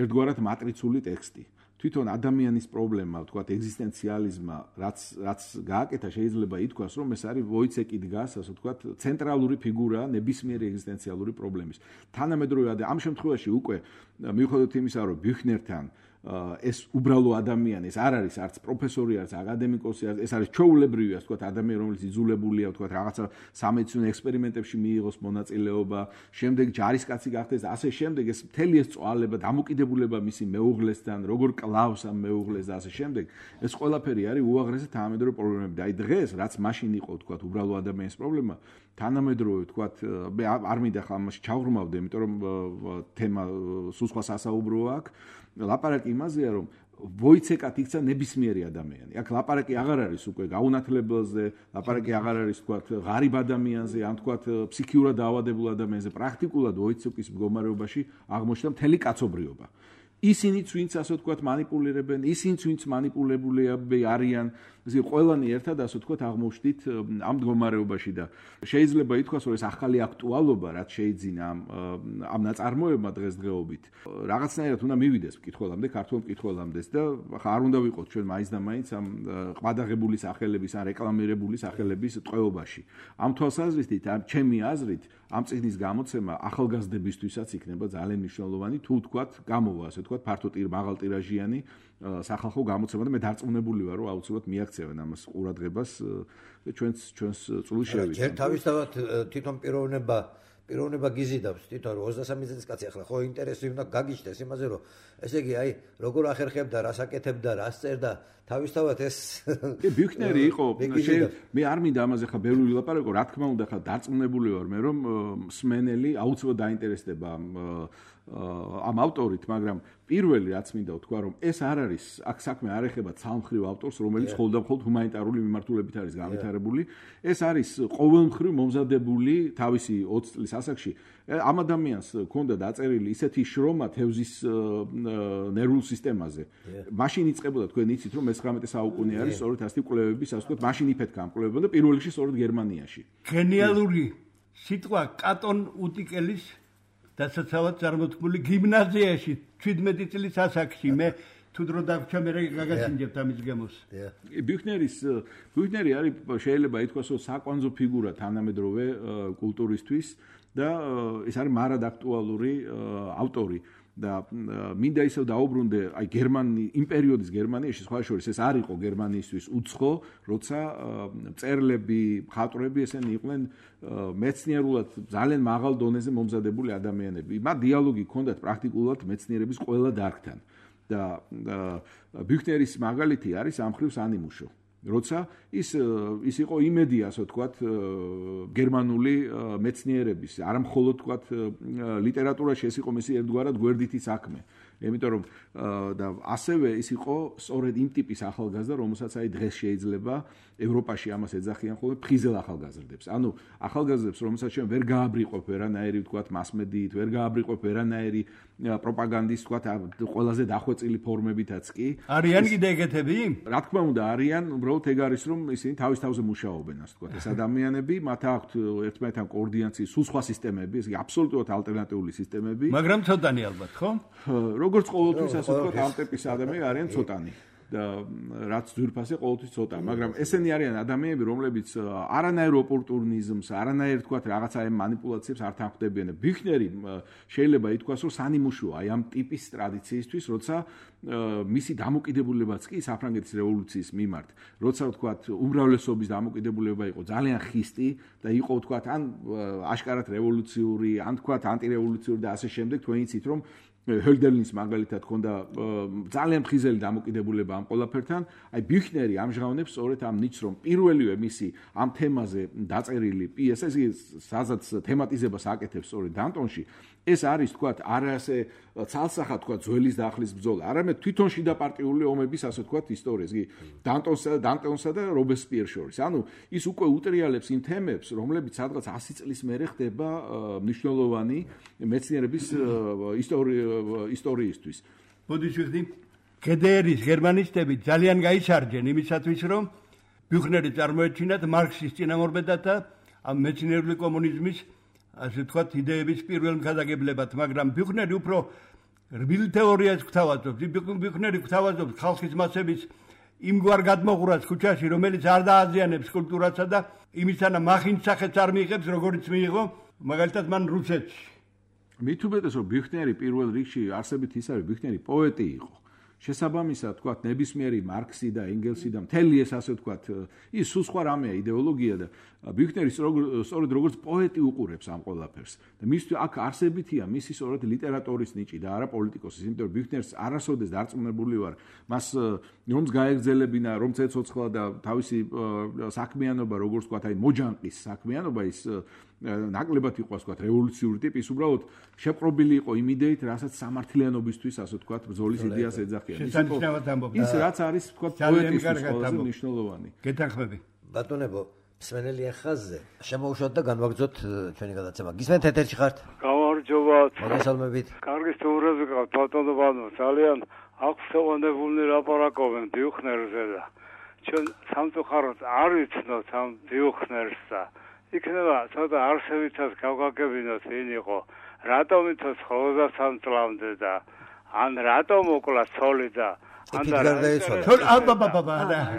ერთგვარად მატრიცული ტექსტი. თვითონ ადამიანის პრობლემა, ვთქვათ, ეგზისტენციალიზმა, რაც გააკეთა, შეიძლება ითქვას, რომ ეს არის ვოიცეკი დგას, ასე ვთქვათ, ცენტრალური ფიგურა ნებისმიერი ეგზისტენციალური პრობლემის. თანამედროვე ამ შემთხვევაში უკვე მიუხედავად იმისა, რომ ბიუხნერთან ეს უბრალო ადამიანი, ეს არ არის არც პროფესორი, არც აკადემიკოსი, ეს არის ჩვეულებრივი, ასე ვთქვათ, ადამიანი, რომელიც იძულებულია, ვთქვათ, რაღაცა სამედიცინო ექსპერიმენტებში მიიღოს მონაწილეობა, შემდეგ ჯარისკაცი გახდეს, ასე შემდეგ, ეს მთელი ეს წვალება, დამოკიდებულება მისი მეუღლესთან, როგორ კლავს ამ მეუღლეს და ასე შემდეგ, ეს ყველაფერი არის უაღრესად თანამედროვე პრობლემები. და აი დღეს, რაც მაშინ იყო, ვთქვათ, უბრალო ადამიანის პრობლემა, თანამედროვე, ვთქვათ, მე არ მინდა ხა ამაში ჩავღრმავდე, იმიტომ რომ თემა სულ სხვა სასაუბროა აქ. ლაპარაკი იმაზეა, რომ ვოიცეკად იქცა ნებისმიერი ადამიანი. აქ ლაპარაკი აღარ არის უკვე გაუნათლებელზე, ლაპარაკი აღარ არის, ვთქვათ, ღარიბ ადამიანზე, ან ვთქვათ, ფსიქიურად დაავადებულ ადამიანზე. პრაქტიკულად ვოიცეკის მდგომარეობაში აღმოჩნდა მთელი კაცობრიობა. ისინიც, ვინც ასე ვთქვათ, манипуლირებენ, ისინიც, ვინც манипуლირებულები არიან, ესე ყველანი ერთად ასე ვთქვათ, აღმოჩნდით ამ მდგომარეობაში და შეიძლება ითქვას, რომ ეს ახალი აქტუალობა, რაც შეიძინა ამ ნაწარმოებმა დღესდღეობით, რაღაცნაირად უნდა მივიდეს მკითხველამდე, ქართულ მკითხველამდე და ხა არ უნდა ვიყოთ ჩვენ მაინც და მაინც ამ ყმადაღებული სახელების ან რეკლამირებული სახელების ტყვეობაში. ამ თვალსაზრისით, ჩემი აზრით, ამ წიგნის გამოცემა ახალგაზრდებისთვისაც იქნება ძალიან მნიშვნელოვანი, თუ ვთქვათ, გამოვა, ასე ვთქვათ, ფართო მაღალ ტირაჟიანი სახალხო გამოცემა და მე დარწმუნებული ვარ, რომ აუცილებლად მიაქცევენ ამას ყურადღებას ჩვენს წვლილ შევით. ჯერ თავისთავად თვითონ პიროვნება გიზიდავს, თვითონ 23 წლის კაცი ახლა ხო ინტერესი უნდა გაგიჩნდეს იმაზე, რომ ესე იგი აი როგორ ახერხებდა, რას აკეთებდა, რას წერდა, თავისთავად ეს ბიუხნერი იყო, მე არ მინდა ამაზე ხა ბევრი ვილაპარაკო, რა თქმა უნდა ხა დარწმუნებული ვარ მე, რომ მსმენელი აუცილებლად დაინტერესდება ამ ავტორით, მაგრამ პირველი რაც მინდა ვთქვა, რომ ეს არ არის, აქ საქმე არ ეხება ცალმხრივ ავტორს, რომელიც მხოლოდ და მხოლოდ ჰუმანიტარული მიმართულებით არის განვითარებული. ეს არის ყოველმხრივ მომზადებული თავისი 20 წლის ასაკში. ამ ადამიანს ჰქონდა დაწერილი ისეთი შრომა თევზის ნერვულ სისტემაზე. მაშინ იწყებოდა, თქვენ იცით, რომ მე-19 საუკუნე არის, სწორედ ასეთი კვლევების, ასე ვთქვათ, მაშინ იფეთქა ამ კვლევებმა და პირველ რიგში სწორედ გერმანიაში. გენიალური სიტყვა კატონ უტიკელის დასაცავად წარმოთქმული გიმნაზიაში 17 წლის ასაკში მე თუ დრო დაგვრჩა მე გაგასინჯებთ ამის გემოს. ბიუხნერი არის შეიძლება ითქვას, რომ საკვანძო ფიგურა თანამედროვე კულტურისთვის და ეს არის მარად აქტუალური ავტორი. და მინდა ისევ დაუბრუნდე აი იმ პერიოდის გერმანიაში სხვა შორის ეს არ იყო გერმანიისთვის უცხო, როცა მწერლები, მხატვრები ესენი იყვნენ მეცნიერულად ძალიან მაღალ დონეზე მომზადებული ადამიანები. მათ დიალოგი ჰქონდათ პრაქტიკულად მეცნიერების ყველა დარგთან და ბიუხნერის მაგალითი არის ამ ხრივ სანიმუშო. როცა ის იყო იმედი, ასე ვთქვათ, გერმანული მეცნიერების, არა მხოლოდ ვთქვათ ლიტერატურაში ეს იყო მისი ერთგვარად გვერდითი საქმე. იმიტომ რომ და ასევე ის იყო სწორედ იმ ტიპის ახალგაზრდა, რომელსაც აი დღეს შეიძლება ევროპაში ამას ეძახიან ხოლმე ფხიზელ ახალგაზრდებს. ანუ ახალგაზრდებს, რომელსაც ჩვენ ვერ გააბრიყვებ ვერანაირი ვთქვათ მასმედიით, ვერ გააბრიყვებ ვერანაირი პროპაგანდის ვთქვათ ყველაზე დახვეწილი ფორმებითაც კი. არიან კიდე ეგეთები? რა თქმა უნდა, არიან, უბრალოდ ეგ არის რომ ისინი თავის თავზე მუშაობენ, ასე ვთქვათ. ეს ადამიანები, მათ აქვთ ერთმანეთთან კოორდინაციის სულ სხვა სისტემები, ეს აბსოლუტურად ალტერნატიული სისტემები. მაგრამ ცოტანი ალბათ, ხო? როგორც ყოველთვის ასე ვთქვათ, ამ ტიპის ადამიანები არიან ცოტანი. და რაც ძვირფასი ყოველთვის ცოტა, მაგრამ ესენი არიან ადამიანები, რომლებიც არანაირ ოპორტუნიზმს, არანაირ თქვათ რაღაცა მანიპულაციებს არ თანხმდებიან. ბიუხნერი შეიძლება ითქვას, რომ სანიმუშოა აი ამ ტიპის ტრადიციისთვის, როცა მისი დამოკიდებულებაც კი საფრანგეთის რევოლუციის მიმართ, როცა ვთქვათ უმრავლესობის დამოკიდებულება იყო ძალიან ხისტი და იყო ვთქვათ ან აშკარად რევოლუციური, ან ვთქვათ ანტირევოლუციური და ასე შემდეგ, თქვენ იცით რომ ჰოლდერლინის მაგალითად ჰქონდა ძალიან მხიზელი დამოკიდებულება ამ ყველაფერთან. აი ბიუხნერი ამჟღავნებს სწორედ ამ ნიჩს, რომ პირველივე მისი ამ თემაზე დაწერილი პიესა, სადაც თემატიზებას აკეთებს სწორედ დანტონში, ეს არის თქვათ არა ასე ცალსახად თქვათ ძველის და ახლის ბრძოლა, არამედ თვითონ შიდა პარტიული ომების ასე თქვათ ისტორიას, იგი დანტონსა და რობესპიერს შორის. ანუ ის უკვე უტრიალებს იმ თემებს, რომლებიც სადღაც 100 წლის მერე ხდება მნიშვნელოვანი მეცნიერების ისტორიისთვის. მოდის ვიხდი, გედერის გერმანისტები ძალიან გაიცარჯენ იმისათვის, რომ ბიუხნერი წარმოეჩინათ მარქსის წინამორბედად და ამ მეცნიერული კომუნიზმის ასე ვთქვათ იდეების პირველ მხარდაგებლებად, მაგრამ ბიუხნერი უფრო რბილ თეორიას გვთავაზობს. ბიუხნერი გვთავაზობს ხალხის მასების იმგვარ გადმოღურას ქუჩაში, რომელიც არ დააზიანებს კულტურასა და იმისანა მახინჯ სახეც არ მიიღებს, როგორც მიიღო მაგალითად მან რუსეთში. მით უმეტეს რომ ბიუხნერი პირველ რიგში არსებით ის არის, ბიუხნერი პოეტი იყო. შესაბამისად, თქვათ, ნებისმიერი მარქსი და ენგელსი და მთელი ეს ასე ვთქვათ, ის სულ სხვა რამეა იდეოლოგია და ბიუხნერი სწორედ როგორც პოეტი უყურებს ამ ყველაფერს. და მისთვის აქ არსებითია მისი სწორედ ლიტერატურის ნიჭი და არა პოლიტიკოსის, იმიტომ რომ ბიუხნერს არასოდეს დარწმუნებული ვარ, მას რომც გაეგზელებინა, რომც ეცოცხლა და თავისი საქმიანობა, როგორც ვთქვათ, აი მოჯანყის საქმიანობა ის ნაკლებად იყო ასე ვთქვათ რევოლუციური ტიპის, უბრალოდ შეპყრობილი იყო იმ იდეით, რასაც სამართლიანობისთვის ასე ვთქვათ ბრძოლის იდეას ეძახიან. ის რაც არის ვთქვათ პოეტისთვის ყველაზე მნიშვნელოვანი. გეთანხმები. ბატონებო, მსმენელი ხაზზე შემოუშვათ და განვაგრძოთ ჩვენი გადაცემა. გისმენთ ეთერში ხართ? გამარჯობათ. მოგესალმებით. კარგი სტუმრები გყავთ, ბატონო ბანო, ძალიან აღსევანებული ლაპარაკობენ ბიუხნერზე და ჩვენ სამწუხაროდ არ ვიცნოთ ამ ბიუხნერს და იქნება ცოტა არსებითაც გავგაგებინოთ ვინ იყო, რატომ იცოცხლა 23 წლამდე და ან რატომ მოკლა ცოლი და ან გარდაიცვალა.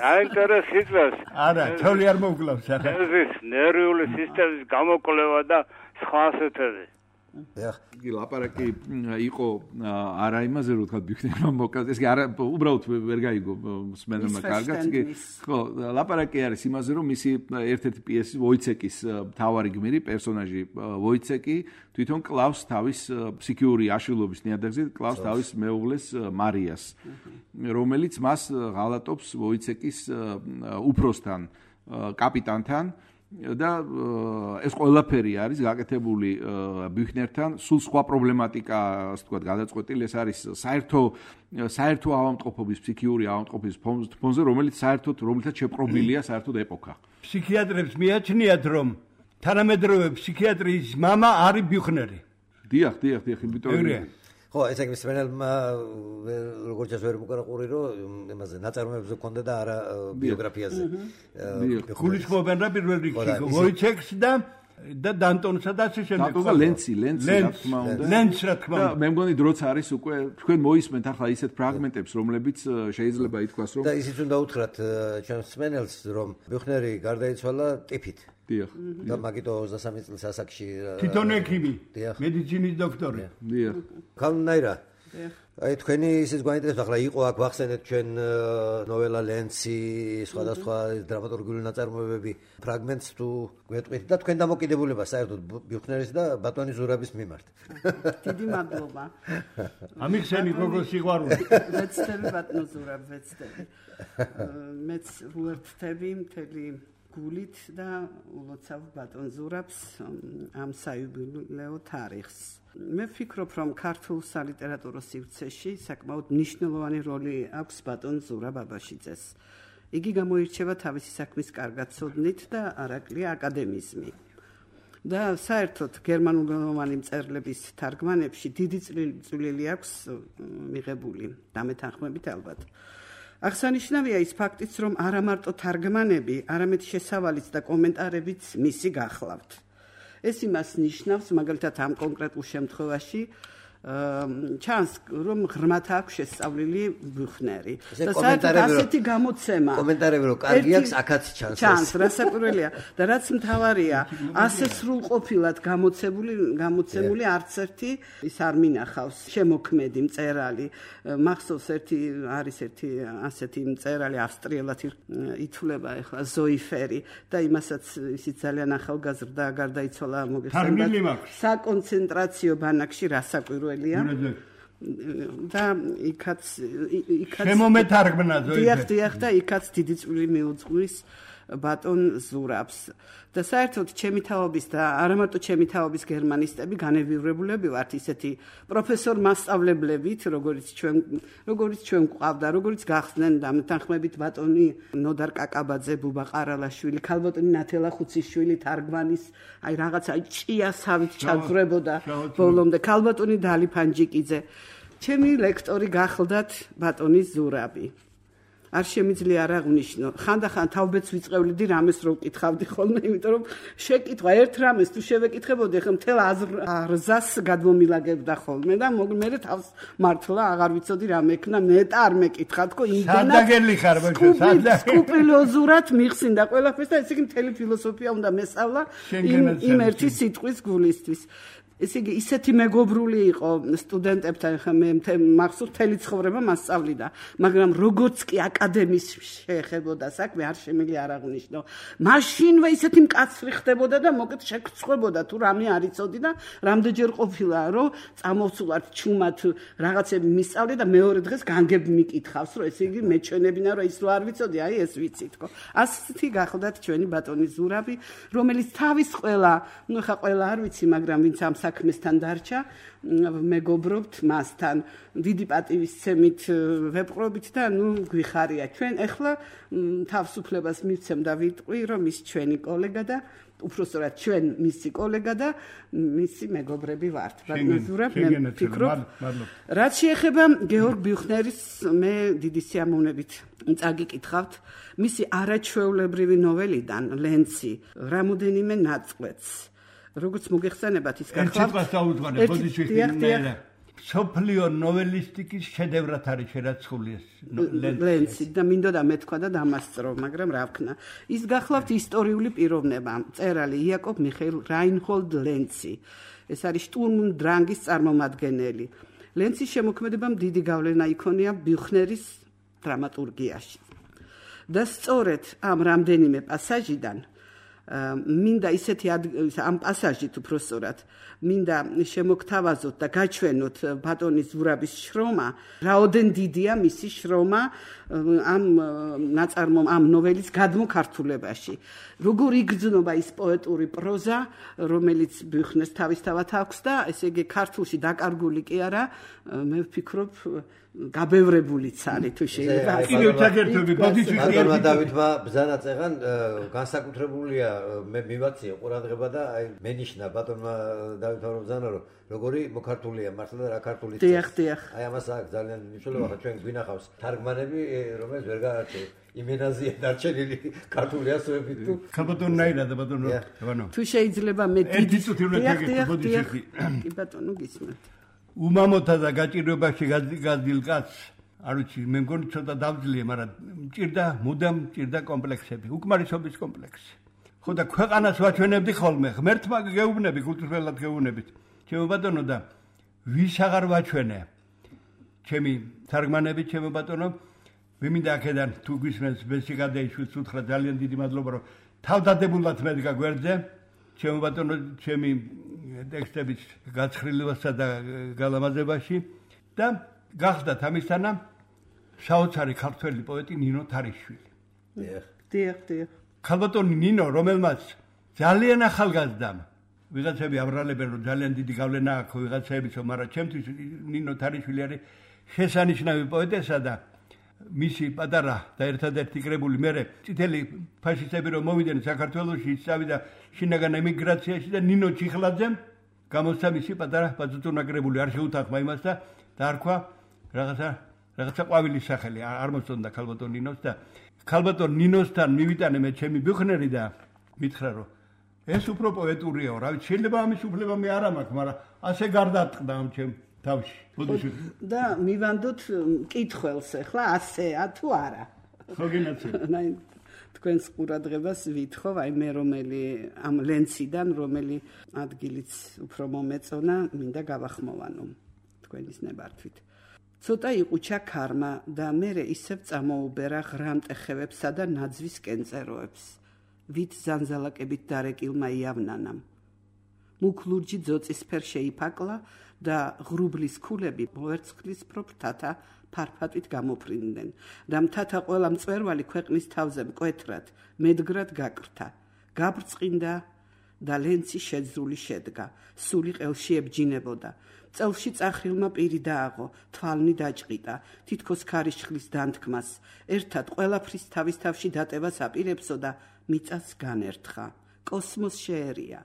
აინტერეს იწვევს. არა, ცოლი არ მოუკლავს. ეს ნერვიული სისტემის გამოკვლევა და სხვა ასეთები. იგი ლაპარაკი იყო არა იმაზე რომ თქვა ბიუხნერმა მოკლა, ეს კი არა უბრალოდ ვერ გაიგო მსმენელმა კარგად, იგი ხო ლაპარაკი არის იმაზე რომ მისი ერთ-ერთი პიესი ვოიცეკის მთავარი გმირი პერსონაჟი ვოიცეკი თვითონ კლავს თავის ფსიქიური აშლილობის ნიადაგზე, კლავს თავის მეუღლეს მარიას, რომელიც მას ღალატობს ვოიცეკის უფროსთან კაპიტანთან და ეს ყველაფერი არის გაკეთებული ბიუხნერთან, სულ სხვა პრობლემატიკა, ასე ვთქვათ, გადაწყვეტილი, ეს არის საერთო ავადმყოფობის, ფსიქიური ავადმყოფობის ფონზე, რომელიც რომელთაც შეპყრობილია საერთოდ ეპოქა. ფსიქიატრებს მიაჩნიათ, რომ თანამედროვე ფსიქიატრიის მამა არის ბიუხნერი. დიახ, იმიტომ ხო, ეს ეგრე მსმენელმა როგორც ეს ვერ მოკარაყური, რომ იმაზე ნაწარმოებზე ქონდა და არა ბიოგრაფიაზე. გულისხმობენ რა პირველ რიგში ვოიცეკს და დანტონსა და ასე შემდეგ. დანტონსა ლენცი რა თქმა უნდა. ლენც რა თქმა უნდა. მე მგონი დროც არის უკვე თქვენ მოისმენთ ახლა ისეთ ფრაგმენტებს, რომლებიც შეიძლება ითქვას, რომ და ისიც უნდა უთხრათ ჩვენ მსმენელს, რომ ბიუხნერი გარდაიცვალა ტიფით. დიახ. და მაგიტო 23 წლის ასაკში თვითონ ექიმი, დიახ. მედიცინის დოქტორი. დიახ. ქალნაირა. დიახ. აი თქვენი ისიც გვაინტერესებს ახლა იყო აქ ვახსენეთ ჩვენ ნოველა ლენცი, სხვადასხვა დრამატურგიული ნაწარმოებები, ფრაგმენტს თუ გვეტყვით და თქვენ დამოკიდებულება საერთოდ ბიუხნერის და ბატონი ზურაბის მიმართ. დიდი მადლობა. ამიხსენი გოგოს სიყვარული. ვეცდები ბატონო ზურაბ, ვეცდები. მეც ვუერთდები მთელი გულით და ულოცავ ბატონ ზურაბს ამ საიუბილეო თარიღს. მე ვფიქრობ, რომ ქართულ სალიტერატურო სივრცეში საკმაოდ მნიშვნელოვანი როლი აქვს ბატონ ზურაბ აბაშიძეს. იგი გამოირჩევა თავისი საქმის კარგაცოდნით და არაკლია აკადემიზმი. და საერთოდ გერმანულენოვანი მწერლების თარგმანებში დიდი წვლილი აქვს მიღებული, დამეთანხმებით ალბათ. აღსანიშნავია ის ფაქტიც, რომ არა მარტო თარგმანები, არამედ შესავალიც და კომენტარებიც მისი გახლავთ. ეს იმას ნიშნავს, მაგალითად ამ კონკრეტულ შემთხვევაში, ჩანს, რომ ღრმათ აქვს შესწავლილი ბიუხნერი. და საერთოდ ასეთი გამოცემა. კომენტარები რომ კარგი აქვს, აქაც ჩანს. ჩანს, რასაკვირველია და რაც მთავარია, ასე სრულყოფილად გამოცემული არც ერთი ის არ მინახავს შემოქმედი მწერალი. მახსოვს არის ერთი ასეთი მწერალი ავსტრიელად ითვლება ახლა ზოიფერი და იმასაც ისიც ძალიან ახალგაზრდა გარდაიცვალა მოგეხსენებათ საკონცენტრაციო ბანაკში რასაკვირველია და იქაც შემომეთარგმნა ზოიფერი. დიახ და იქაც დიდი წვლილი მიუძღვის ბატონ ზურაბს. და საერთოდ ჩემი თაობის და არა მარტო ჩემი თაობის გერმანისტები განევივრებულები ვართ ისეთი პროფესორ მასწავლებლებით, როგორც ჩვენ გვყავდა, როგორც გახსნენ დამეთანხმებით ბატონი ნოდარ კაკაბაძე, ბუბა ყარალაშვილი, ქალბატონი ნათელა ხუციშვილი თარგმანის, აი რაღაცა ჭიასავით ჩაძვრებოდა ბოლომდე, ქალბატონი დალი ფანჯიკიძე. ჩემი ლექტორი გახლდათ ბატონი ზურაბი. არ შემიძლია არ აღვნიშნო. ხანდახან თავბეც ვიწყევლიდი რამეს რო ვკითხავდი ხოლმე, იმიტომ რომ შეკითხვა ერთ რამეს თუ შევეკითხებოდი, ხომ მთელ აზრს გადმომილაგებდა ხოლმე და მე თავს მართლა აღარ ვიცოდი რა მექნა, ნეტა არ მეკითხა თქო იმდენად სკრუპულოზურად მიხსინდა ყველაფერს და ესე იგი მთელი ფილოსოფია უნდა მესწავლა იმ ერთი სიტყვის გულისთვის. ესე იგი ისეთი მეგობრული იყო სტუდენტებთან, ხა მე მახსოვს მთელი ცხოვრება მასწავლიდა, მაგრამ როგორც კი აკადემიის შეეხებოდა საქმე, არ შემიძლია არ აღვნიშნო. მაშინვე ისეთი მკაცრი ხდებოდა და მოკეთ შეგწყვებოდა თუ რამე არ იცოდი და რამდენჯერ ყოფილა, რომ წამოვცულათ ჩუმად რაღაცები მისწავლე და მეორე დღეს განგებ მიკითხავს, რომ ესე იგი მეჩვენებინა, რომ ის რო არ ვიცოდი, აი ეს ვიცი თქო. ასეთი გახლდათ ჩვენი ბატონი ზურაბი, რომელიც თავის ყველა, ნუ ხა ყველა არ ვიცი, მაგრამ ვინც ამ საქმესთან დარჩა, მეგობრობთ მასთან, დიდი პატივისცემით ვეპყრობით და ნუ გვიხარია. ჩვენ ახლა თავისუფლებას მივცემ და ვიტყვი, რომ ის ჩვენი კოლეგა და უпроსტად ჩვენ მისი კოლეგა და მისი მეგობრები ვართ. ბატონ ზურაბ, მე ვფიქრობ, რაც შეეხება გეორგ ბიუხნერის, მე დიდი სიამოვნებით წაგიკითხავთ მისი არაჩვეულებრივი ნოველიდან ლენცი, რამოდენიმე ნაწყვეტს. როგორც მოგეხსენებათ ის გახლავთ სოფლიო ნოველისტიკის შედევრად არის შერაცხული ეს ლენცი და მინდოდა მეთქვა და დამასწრო, მაგრამ რა ვქნა. ის გახლავთ ისტორიული პიროვნება, მწერალი იაკობ მიხეილ რაინჰოლდ ლენცი. ეს არის შტურმ und დრანგის წარმომადგენელი. ლენცის შემოქმედებამ დიდი გავლენა იქონია ბიუხნერის დრამატურგიაში. და სწორედ ამ რამდენიმე პასაჟიდან მინდა ისეთი ამ პასაჟით უпроსტად მინდა შემოგთავაზოთ და გაჩვენოთ ბატონი ზურაბის შრომა, რაოდენ დიდია მისი შრომა ამ ნაწარმომ ამ ნოველის გადმოქართულებაში. როგორ იგრძნობა ის პოეტური პროზა, რომელიც ბიუხნერს თავისთავად აქვს და ესე იგი ქართულში დაკარგული კი არა, მე ვფიქრობ გაბევრებულიც არის თუ შეიძლება. ბატონმა დავითმა ბრძანა წეღან განსაკუთრებულია მე მივაცია ყურადღება და აი მენიშნა ბატონმა დავითმა ბრძანა რომ როგორი მოქართულია მართლა და რა ქართული დიახ. აი ამას აქვს ძალიან მნიშვნელობა ხა ჩვენ გვინახავს თარგმანები რომელიც ვერ გაარჩევ იმენაზია დარჩენილი ქართული ასოებით თუ ქალბატონნაირად და ბატონო ევანო თუ შეიძლება მე ერთი წუთი უნდა გაგეკეთებოდი კი ბატონო გისმენთ უმამოთა და გაჭირვებაში გაძილ კაცს არ ვიცი მე მგონი ცოტა დავძლია მაგრამ მჭირდა მუდამ მჭირდა კომპლექსები უკმარისობის კომპლექსი ხო და ქვეყანას ვაჩვენებდი ხოლმე ღმერთმა გეუბნები კულტურულად გეუბნებით ჩემო ბატონო და ვის აღარ ვაჩვენე ჩემი თარგმანები ჩემო ბატონო ვიმინდა აქედან თუ გვისმენს ბესი გადაიშვით უთხრა ძალიან დიდი მადლობა რომ თავდადებულად მედგა გვერდზე ჩემო ბატონო ჩემი ტექსტების გაცხრილებასა და გალამაზებაში და გახდათ ამისთანა საოცარი ქართველი პოეტი ნინო თარიშვილი დიახ ქალბატონი ნინო რომელმაც ძალიან ახალგაზრდამ ვიღაცები აბრალებენ რომ ძალიან დიდი გავლენა აქვს ვიღაცებისო მაგრამ ჩემთვის ნინო თარიშვილი არის შესანიშნავი პოეტესა და მისი პატარა და ერთადერთი კრებული მე წითელი ფაშისტები რომ მოვიდნენ საქართველოში ისწავიდა შინაგან ემიგრაციაში და ნინო ჩიხლაძემ გამოსცა მისი პატარა ბაზუტუნა კრებული არ შეუთანხმა იმას და დაარქვა რაღაცა ყვავილის სახელი არ მოსწონდა ქალბატონ ნინოს და ქალბატონ ნინოსთან მივიტანე მე ჩემი ბიუხნერი და მითხრა რომ ეს უფრო პოეტურიაო რა ვიცი შეიძლება ამის უფლება მე არ მაქვს მაგრამ ასე გარდატყდა ამ ჩემ თავში ბოდიში და მივანდოთ კითხველს ახლა ასეა თუ არა ხო გინაცე თქვენს ყურადღებას ვითხოვ აი მე რომელი ამ ლენციდან რომელი ადგილიც უფრო მომეწონა მინდა გავახმოვანო თქვენის ნებართვით ცოტა იყუჩა ქარმა და მერე ისევ წამოუბერა ღრამტეხევებსა და ნაძვის კენწეროებს ვით ზანზალაკებით დარეკილმა იავნანამ მუქლურჯი ძოწისფერ შეიფაკლა და ღრუბლის ქულები მოვერცხლის ფროფთათა ფარფატვით გამოფრინდნენ და მთათა ყველა მწვერვალი ქვეყნის თავზე მკვეთრად მედგრად გაკრთა გაბრწყინდა და ლენცი შეძრული შედგა სული ყელში ებჯინებოდა წელში წახრილმა პირი დააღო თვალნი დაჭყიტა თითქოს ქარიშხლის დანთქმას ერთად ყველაფრის თავის თავში დატევას აპირებსო და მიწას განერთხა კოსმოს შეერია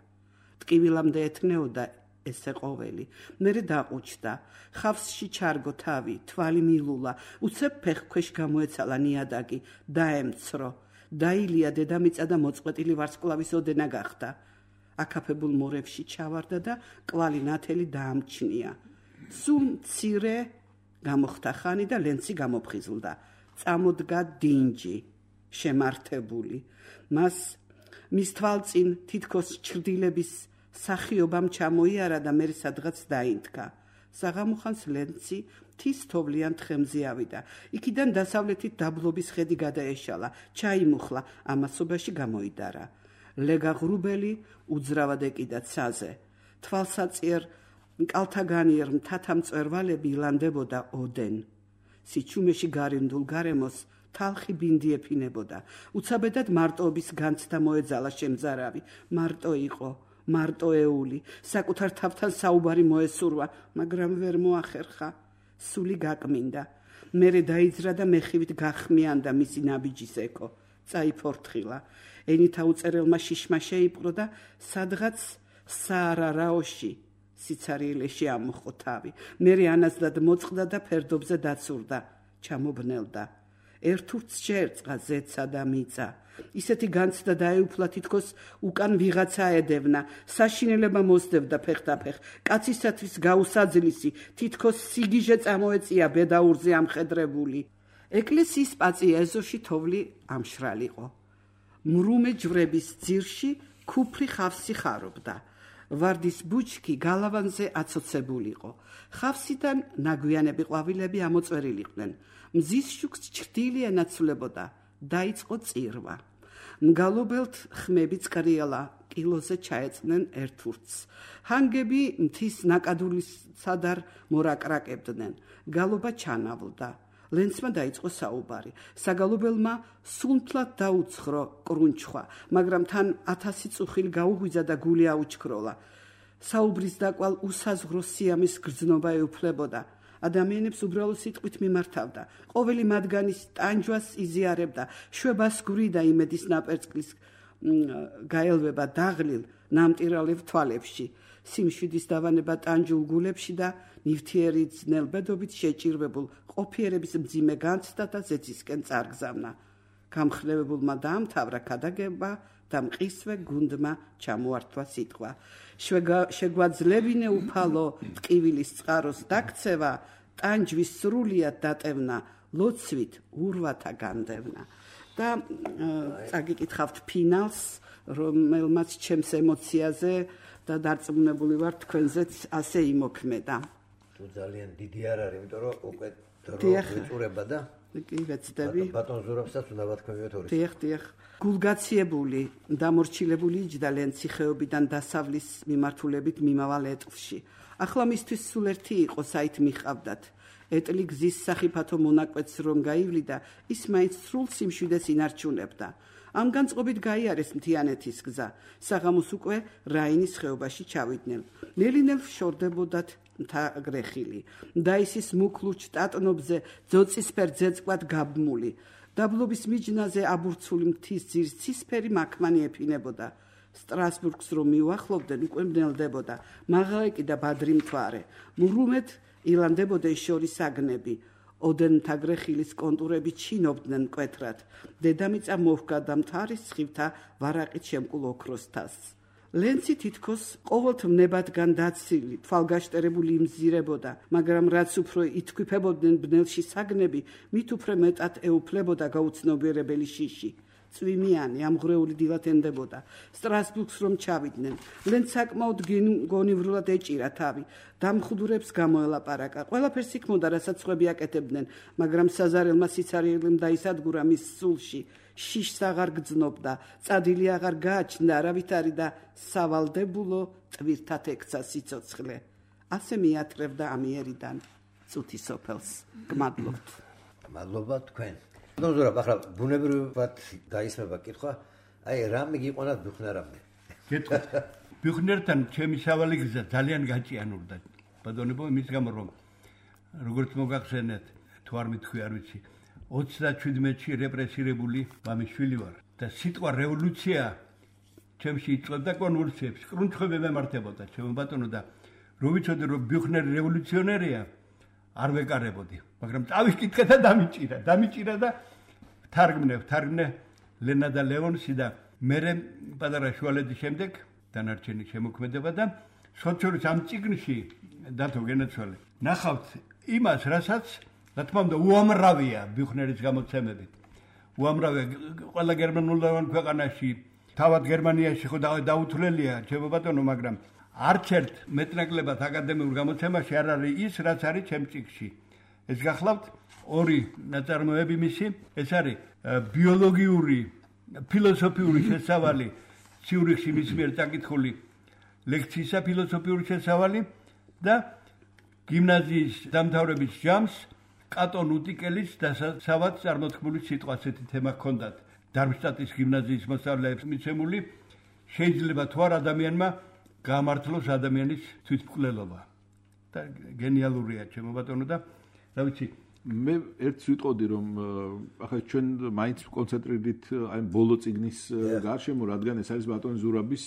ტკივილამდე ეთნეოდა ესე ყოველი მერე დაყუჩდა ხავსში ჩარგო თავი თვალი მილულა უცებ ფეხქვეშ გამოეცალა ნიადაგი დაემცრო დაილია დედამიწა და მოწყვეტილი ვარსკვლავის ოდენა გახდა აკაფებულ მორებში ჩავარდა და კვალი ნათელი დაამჩნია სულ მცირე გამოხდა ხანი და ლენცი გამოფხიზლდა წამოდგა დინჯი შემართებული მის თვალწინ თითქოს ჩრდილების სახიობამ ჩამოიარა და მერე სადღაც დაინთქა საღამოხანს ლენცი მთის თოვლიან თხემზე ავიდა იქიდან დასავლეთით დაბლობის ხედი გადაეშალა ჩაიმუხლა ამასობაში გამოიდარა ლეგა ღრუბელი უძრავად ეკიდა ცაზე თვალსაწიერ კალთაგანიერ მთათა მწვერვალები ილანდებოდა ოდენ სიჩუმეში გარემდულ გარემოს თალხი ბინდი ეფინებოდა უცაბედად მარტოობის განცდა მოეძალა შემზარავი მარტო იყო მარტოეული საკუთარ თავთან საუბარი მოესურვა მაგრამ ვერ მოახერხა სული გაკმინდა მერე დაიძრა და მეხივით გახმიანდა მისი ნაბიჯის ეკო წაიფორთხილა ენითა უწერელმა შიშმა შეიპყრო და სადღაც საარარაოში სიცარიელეში ამოხო თავი მერე ანაზდად მოწყდა და ფერდობზე დაცურდა ჩამობნელდა ერთურც შეერწყა ზეცა და მიწა ისეთი განცდა დაეუფლა თითქოს უკან ვიღაცა ედევნა საშინელება მოსდევდა ფეხდაფეხ კაცისათვის გაუსაძლისი თითქოს სიგიჟე წამოეწია ბედაურზე ამხედრებული ეკლესიის პაწია ეზოში თოვლი ამშრალიყო მრუმე ჯვრების ძირში ქუფრი ხავსი ხარობდა ვარდის ბუჩქი გალავანზე აცოცებულიყო ხავსიდან ნაგვიანები ყვავილები ამოწვერილიყვნენ მზის შუქს ჩრდილი ენაცვლებოდა დაიწყო წირვა მგალობელთ ხმები წკრიალა კილოზე ჩაეწნენ ერთურთს ჰანგები მთის ნაკადულის სადარ მორაკრაკებდნენ გალობა ჩანავლდა ლენცმა დაიწყო საუბარი საგალობელმა სუნთლად დაუცხრო კრუნჩხვა მაგრამ თან 1000 წუხილი გაუღვიძა და გული აუჩქროლა საუბრის დაკვალ უსაზღვრო სიამის გრძნობა ეუფლებოდა ადამიანებს უბრალო სიტყვით მიმართავდა ყოველი მათგანის ტანჯვას იზიარებდა შვებას გვრიდა იმედის ნაპერწკლის გაელვება დაღლილ ნამტირალევ თვალებში სიმშვიდის დავანება ტანჯულ გულებში და ნივთიერი ძნელბედობით შეჭირვებულ ყოფიერების მძიმე განცდა და ზეცისკენ წარგზავნა გამხნევებულმა დაამთავრა ქადაგება და მყისვე გუნდმა ჩამოართვა სიტყვა შეგვაძლებინე უფალო ტკივილის წყაროს დაქცევა ტანჯვის სრულიად დატევნა ლოცვით ურვათა განდევნა და წაგიკითხავთ ფინალს რომელმაც ჩემს ემოციაზე და დარწმუნებული ვარ თქვენზეც ასე იმოქმედა. თუ ძალიან დიდი არ არის, იმიტომ რომ უკვე დრო ვიწურება და კი ვეცდები. ბატონ ზურაბსაც უნდა ვთქვიოთ ორი. დიახ. გულგაციებული, დამორჩილებული იჯდა ციხეობიდან დასავლის მიმართულებით მიმავალ ეტლში. ახლა მისთვის სულ ერთი იყო, საით მიყავდათ. ეტლი გზის სახიფათო მონაკვეთს რომ გაივლიდა, ის მაინც სრულ სიმშვიდეს ინარჩუნებდა. ამ განწყობით გაიარეს მთიანეთის გზა. საღამოს უკვე რაინის ხეობაში ჩავიდნენ. ნელი-ნელ შორდებოდათ მთა-გრეხილი. დაისის მუქლუჩ ტატნობზე ძოწისფერ ძეწყვად გაბმული. დაბლობის მიჯნაზე აბურცული მთის ძირს ცისფერი მაქმანი ეფინებოდა. სტრასბურგს რომ მიუახლოვდნენ, უკვე მნელდებოდა მაღალეკი და ბადრი მთვარე. მურუმეთ ილანდებოდნენ შორის აგნები. ოდენ მთაგრეხილის კონტურები ჩინობდნენ მკვეთრად. დედამიწა მოვგა და მთარის სხივთა ვარაყით შემკულ ოქროს თასს. ლენცი თითქოს ყოველთმნებადგან დაცილი, თვალგაშტერებული იმზირებოდა, მაგრამ რაც უფრო ითქვიფებოდნენ ბნელში საგნები, მით უფრო მეტად ეუფლებოდა გაუცნობიერებელი შიში. წვიმიანი, ამღვრეული დილად ენდებოდა. სტრასბურგს რომ ჩავიდნენ, ლენც საკმაოდ გონივრულად ეჭირა თავი. დამხუდურებს გამოელაპარაკა. ყველაფერს იქმოდა, რასაც ხვები აკეთებდნენ, მაგრამ საზარელმა სიცარიელემ დაისადგურა მის სულში. შიშს აღარ გძნობდა, წადილი აღარ გააჩნდა არავითარი და სავალდებულო ტვირთად ექცა სიცოცხლე. ასე მიათრევდა ამიერიდან წუთი სოფელს. გმადლობთ. მადლობა თქვენ. ბატონ ზურაბ, ახლა ბუნებრივად დაისმება კითხვა, აი რამე გიყვანათ ბიუხნერამდე? გეტყვით. ბიუხნერთან ჩემი სავალი გზა ძალიან გაჭიანურდა. ბატონებო, იმის გამო რომ როგორც მოგახსენეთ, თუ არ მithქვი არ ვიცი, 37-ში რეპრესირებული მამიშვილი ვარ და სიტყვა რევოლუცია ჩემში იწვევდა კონვულსიებს, კრუნჩხვები მემართებოდა ჩემო ბატონო და რო ვიცოდი რომ ბიუხნერი რევოლუციონერია, არ ვეკარებოდი, მაგრამ წავიკითხე და დამიჭირა და თარგმნე ლენა და ლეონსი და მერე პატარა შუალედის შემდეგ დანარჩენი შემოქმედება და სოციალურ ამ წიგნში დათო გენაცვალე. ნახავთ იმას, რასაც რა თქმა უნდა უამრავია ბიუხნერის გამოცემები. უამრავია ყველა გერმანულოვან ქვეყანაში, თავად გერმანიაში ხო დაუთვლელია ჩემო ბატონო, მაგრამ არც ერთ მეტნაკლებად აკადემიურ გამოცემაში არ არის ის, რაც არის ჩემ წიგნში. ეს გახლავთ ორი ნაწარმოები მისი, ეს არის ბიოლოგიური, ფილოსოფიური შესავალი ციურიხში მის მიერ წაკითხული ლექციისა ფილოსოფიური შესავალი და გიმნაზიის დამთავრების ჯამს კატონ უტიკელის დასაცავად წარმოთქმული სიტყვა ასეთი თემა ჰქონდათ. დარმშტატის გიმნაზიის მოსწავლეებს მიცემული, შეიძლება თუ არ ადამიანმა გამართლოს ადამიანის თვითმკვლელობა. და გენიალურია ჩემო ბატონო და რა ვიცი, მე ერთს ვიტყოდი რომ ახლა ჩვენ მაინც კონცენტრირდით აი ბოლო წიგნის გარშემო, რადგან ეს არის ბატონ ზურაბის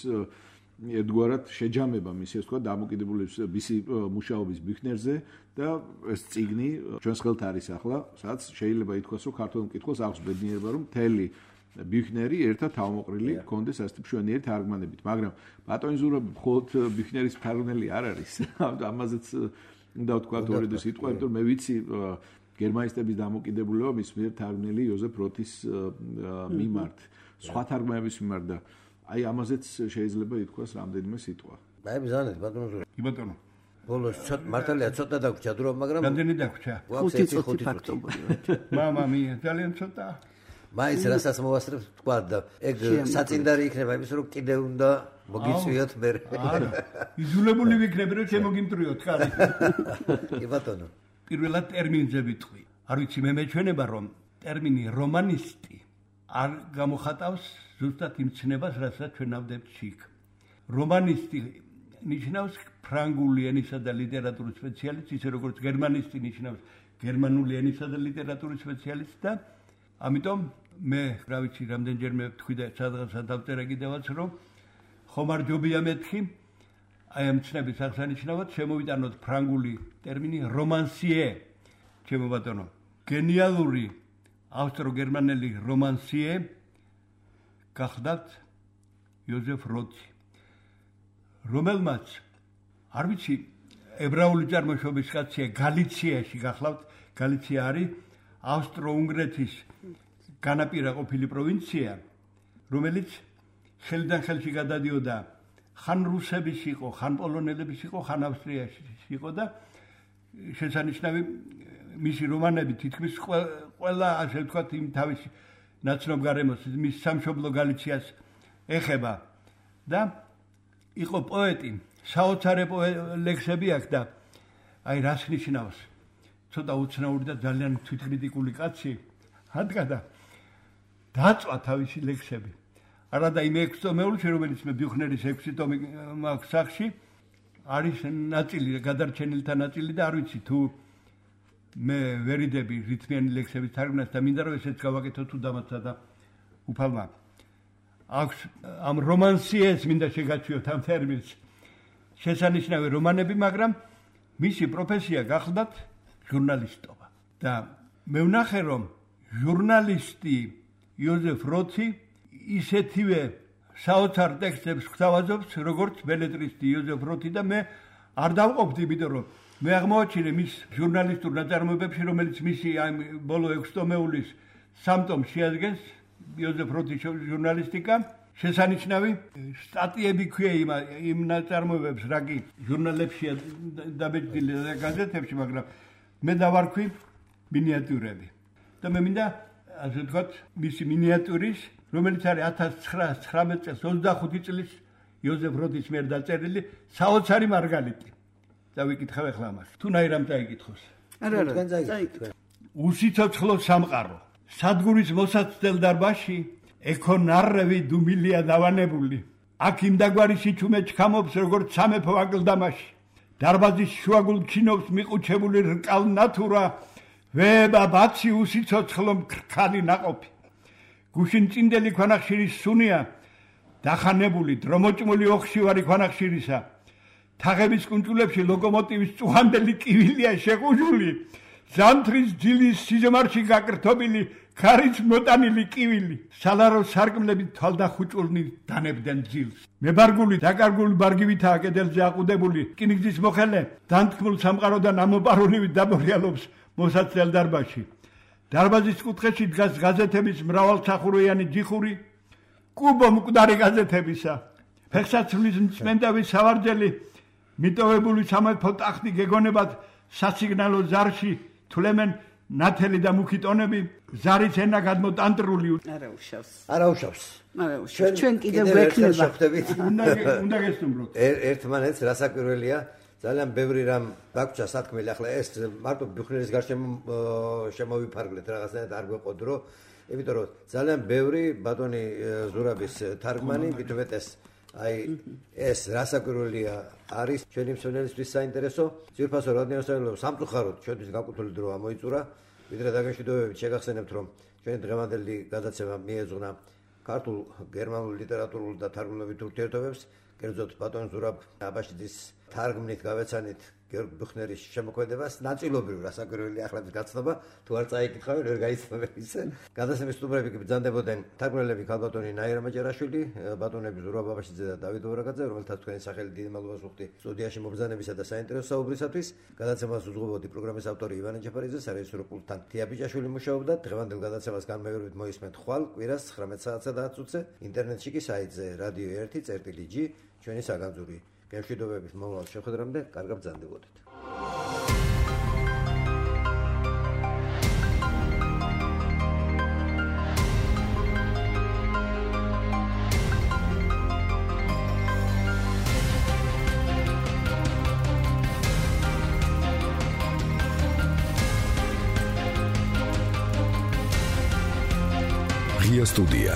ერთგვარად შეჯამება მისი, ასე ვთქვათ, დამოკიდებულების მისი მუშაობის ბიუხნერზე და ეს წიგნი ჩვენს ხელთ არის ახლა, სადაც შეიძლება ითქვას, რომ ქართულ მკითხველს აქვს ბედნიერება, რომ მთელი ბიუხნერი ერთად თავმოყრილი კონდეს ასეთი მშვენიერი თარგმანებით, მაგრამ ბატონ ზურაბი მხოლოდ ბიუხნერის თარგმნელი არ არის. ამაზეც უნდა ვთქვათ ორი სიტყვა, იმიტომ რომ მე ვიცი გერმანისტების დამოკიდებულება მის მიერ თარგმნილი იოზეფ როთის მიმართ, სხვა თარგმანების მიმართ და აი ამაზეც შეიძლება ითქვას რამდენიმე სიტყვა. აი ბრძანეთ ბატონო ზურაბ. კი ბატონო. ბოლოს მართალია ცოტა დაგვრჩა დრო, მაგრამ რამდენი დაგვრჩა? 5 წუთი ფაქტობრივად. მამამია, ძალიან ცოტა. მაინც რასაც მოვასწრებ თქვა და ეგ საწინდარი იქნება იმის რომ კიდე უნდა მოგიწვიოთ მე. იძულებული ვიქნები რომ შემოგიმტრიოთ, ხარი. კი ბატონო. პირველად ტერმინზე ვიტყვი. არ ვიცი, მე მეჩვენება რომ ტერმინი რომანისტი არ გამოხატავს ზუსტად იმ ცნებას, რასაც ჩვენ ავდებთ შიგ. რომანისტი ნიშნავს ფრანგული ენისა და ლიტერატურის სპეციალისტი, ისე როგორც გერმანისტი ნიშნავს გერმანული ენისა და ლიტერატურის სპეციალისტი და ამიტომ მე რა ვიცი, რამდენჯერმე ვთქვი და სადღაცა დავწერა კიდევაც, რომ ხომ არ ჯობია მეთქი აი ამ ცნების აღსანიშნავად შემოვიტანოთ ფრანგული ტერმინი რომანსიე, ჩემო ბატონო. გენიალური ავსტრო-გერმანელი რომანსიე გახდათ იოზეფ როთი, რომელმაც არ ვიცი, ებრაული წარმოშობის კაცია, გალიციაში გახლავთ, გალიცია არის ავსტრო-უნგრეთის განაპირა ყოფილი პროვინცია, რომელიც ხელიდან ხელში გადადიოდა ხან რუსების იყო, ხან პოლონელების იყო, ხან ავსტრიაში იყო და შესანიშნავი მისი რომანები თითქმის ყველა ასე ვთქვათ იმ თავის ნაცნობ გარემოს მის სამშობლო გალიციას ეხება და იყო პოეტი, საოცარი ლექსები აქვს და აი რას ნიშნავს ცოტა უცნაური და ძალიან თვითკრიტიკული კაცი ადგა და დაწვა თავისი ლექსები. არადა იმ 6 ტომეულში, რომელიც მე ბიუხნერის 6 ტომი მაქვს სახში, არის ნაწილი, გადარჩენილთა ნაწილი და არ ვიცი თუ მე ვერიდები რითმიანი ლექსების თარგმნას და მინდა რომ ესეც გავაკეთო თუ დამაცა და უფალმა. აქვს ამ რომანსიეს მინდა შეგაჩვიოთ ამ ტერმინს. შესანიშნავი რომანები, მაგრამ მისი პროფესია გახლდათ ჟურნალისტობა. და მე ვნახე რომ ჟურნალისტი იოზეფ როცი ისეთივე საოცარ ტექსტებს გვთავაზობს, როგორც ბელეტრისტი იოზეფ როცი და მე არ დავყოფდი, იმიტომ რომ მე აღმოაჩინე მის ჟურნალისტურ ნაწარმოებებში, რომელიც მისი ამ ბოლო 6 ტომეულის 3 ტომს შეადგენს, იოზეფ როცის ჟურნალისტიკა, შესანიშნავი სტატიები ქვია იმ ნაწარმოებებს, რა კი ჟურნალებშია დაბეჭდილი და გაზეთებში, მაგრამ მე დავარქვი მინიატიურები. და მე მინდა ასე ვთქვათ, მისი მინიატურის, რომელიც არის 1919 წელს 25 წლის იოზეფ როცის მიერ დაწერილი საოცარი მარგალიტი. დავიკითხავ ახლა ამას. თუნაირ ამ დაიკითხოს. არა, დაიკითხე. უსიცოცხლო სამყარო. სადგურის მოსაცდელ დარბაზში ეკო ნარევი დუმილია დავანებული. აქ იმ დაგვარი სიჩუმე ჩქამობს, როგორც სამეფო აკლდამაში. დარბაზის შუაგულ ჩინობს მიყუჩებული რკალ ნათურა, ვება ბაცი უსიცოცხლო მქრქალი ნაყოფი. გუშინ წინდელი ქვანახშირის სუნია, დახანებული დრომოჭმული ოხშივარი ქვანახშირისა. თაღების კუნჭულებში ლოკომოტივის წუხანდელი კივილია შეყუჟული, ზამთრის ძილის სიზმარში გაკრთობილი ქარიც მოტანილი კივილი. სალარო სარკმლები თვალდახუჭულნი დანებდნენ ძილს. მებარგული დაკარგული ბარგივითაა კედელზე აყუდებული, რკინიგზის მოხელე დანთქმულ სამყაროდან ამოპარულივი დაბორიალობს მოსაცდელ დარბაზში. დარბაზის კუთხეში დგას გაზეთების მრავალსახურიანი ჯიხური, კუბო მკვდარი გაზეთებისა. ფეხსაცმლის მწმენდავის სავარძელი მიტოვებული სამეფო ტახტი გეგონებად სასიგნალო ზარში თვლემენ ნათელი და მუქი ტონები, ზარის ენა გადმოტანტრული. არა უშავს. ჩვენ კიდევ გვექნება. უნდა გესტუმროთ. ერთმანეთს რასაკვირველია, ძალიან ბევრი რამ დაგჭა სათქმელი, ახლა ეს მარტო ბიუხნერის გარშემო შემოვიფარგლეთ რაღაცნაირად არ გვეყოდრო, იმიტომ რომ ძალიან ბევრი ბატონი ზურაბის თარგმანი, მithumetes აი ეს რასაკვირველია არის ჩვენი მსმენელისთვის საინტერესო. ძირფასო რადიოსავალო სამწუხაროდ ჩვენთვის გაკუთული დრო ამოიწურა, ვიდრე დაგემშვიდობებით შეგახსენებთ რომ ჩვენი დღევანდელი გადაცემა მიეძღვნა ქართულ გერმანულ ლიტერატურულ და თარგმნობით ურთიერთობებს, კერძოდ ბატონ ზურაბ აბაშიძის თარგმნით გავეცანით გიორგ ბიუხნერის შემოქმედებას, ნაწილობრივ რასაკვირველია ახლა გაცნობა, თუ არ წაიკითხავენ ვერ გაიცნობენ ისე. გადაცემის სტუმრები კი ბრძანდებოდნენ თარგმნელები ქალბატონი ნაირა მაჭარაშვილი, ბატონები ზურაბ აბაშიძე და დავით ვორაკაძე, რომელთაც თქვენი სახელი დიდი მადლობას ვუხდი სტუდიაში მობრძანებისა და საინტერესო საუბრისათვის. გადაცემას უძღვებოდი პროგრამის ავტორი ივანე ჯაფარიძე, სარეჟისორო პულტთან თია ბიჭაშვილი მუშაობდა. დღევანდელ გადაცემას განმეორებით მოისმენთ ხვალ კვირას 19 საათსა და 10 წუთზე, ინტერნეტში კი საიტზე radio 1.g ჩვენი საგანძური. გემშვიდობებით მომავალ შეხვედრამდე, კარგად ბრძანდებოდეთ. Ria Studia.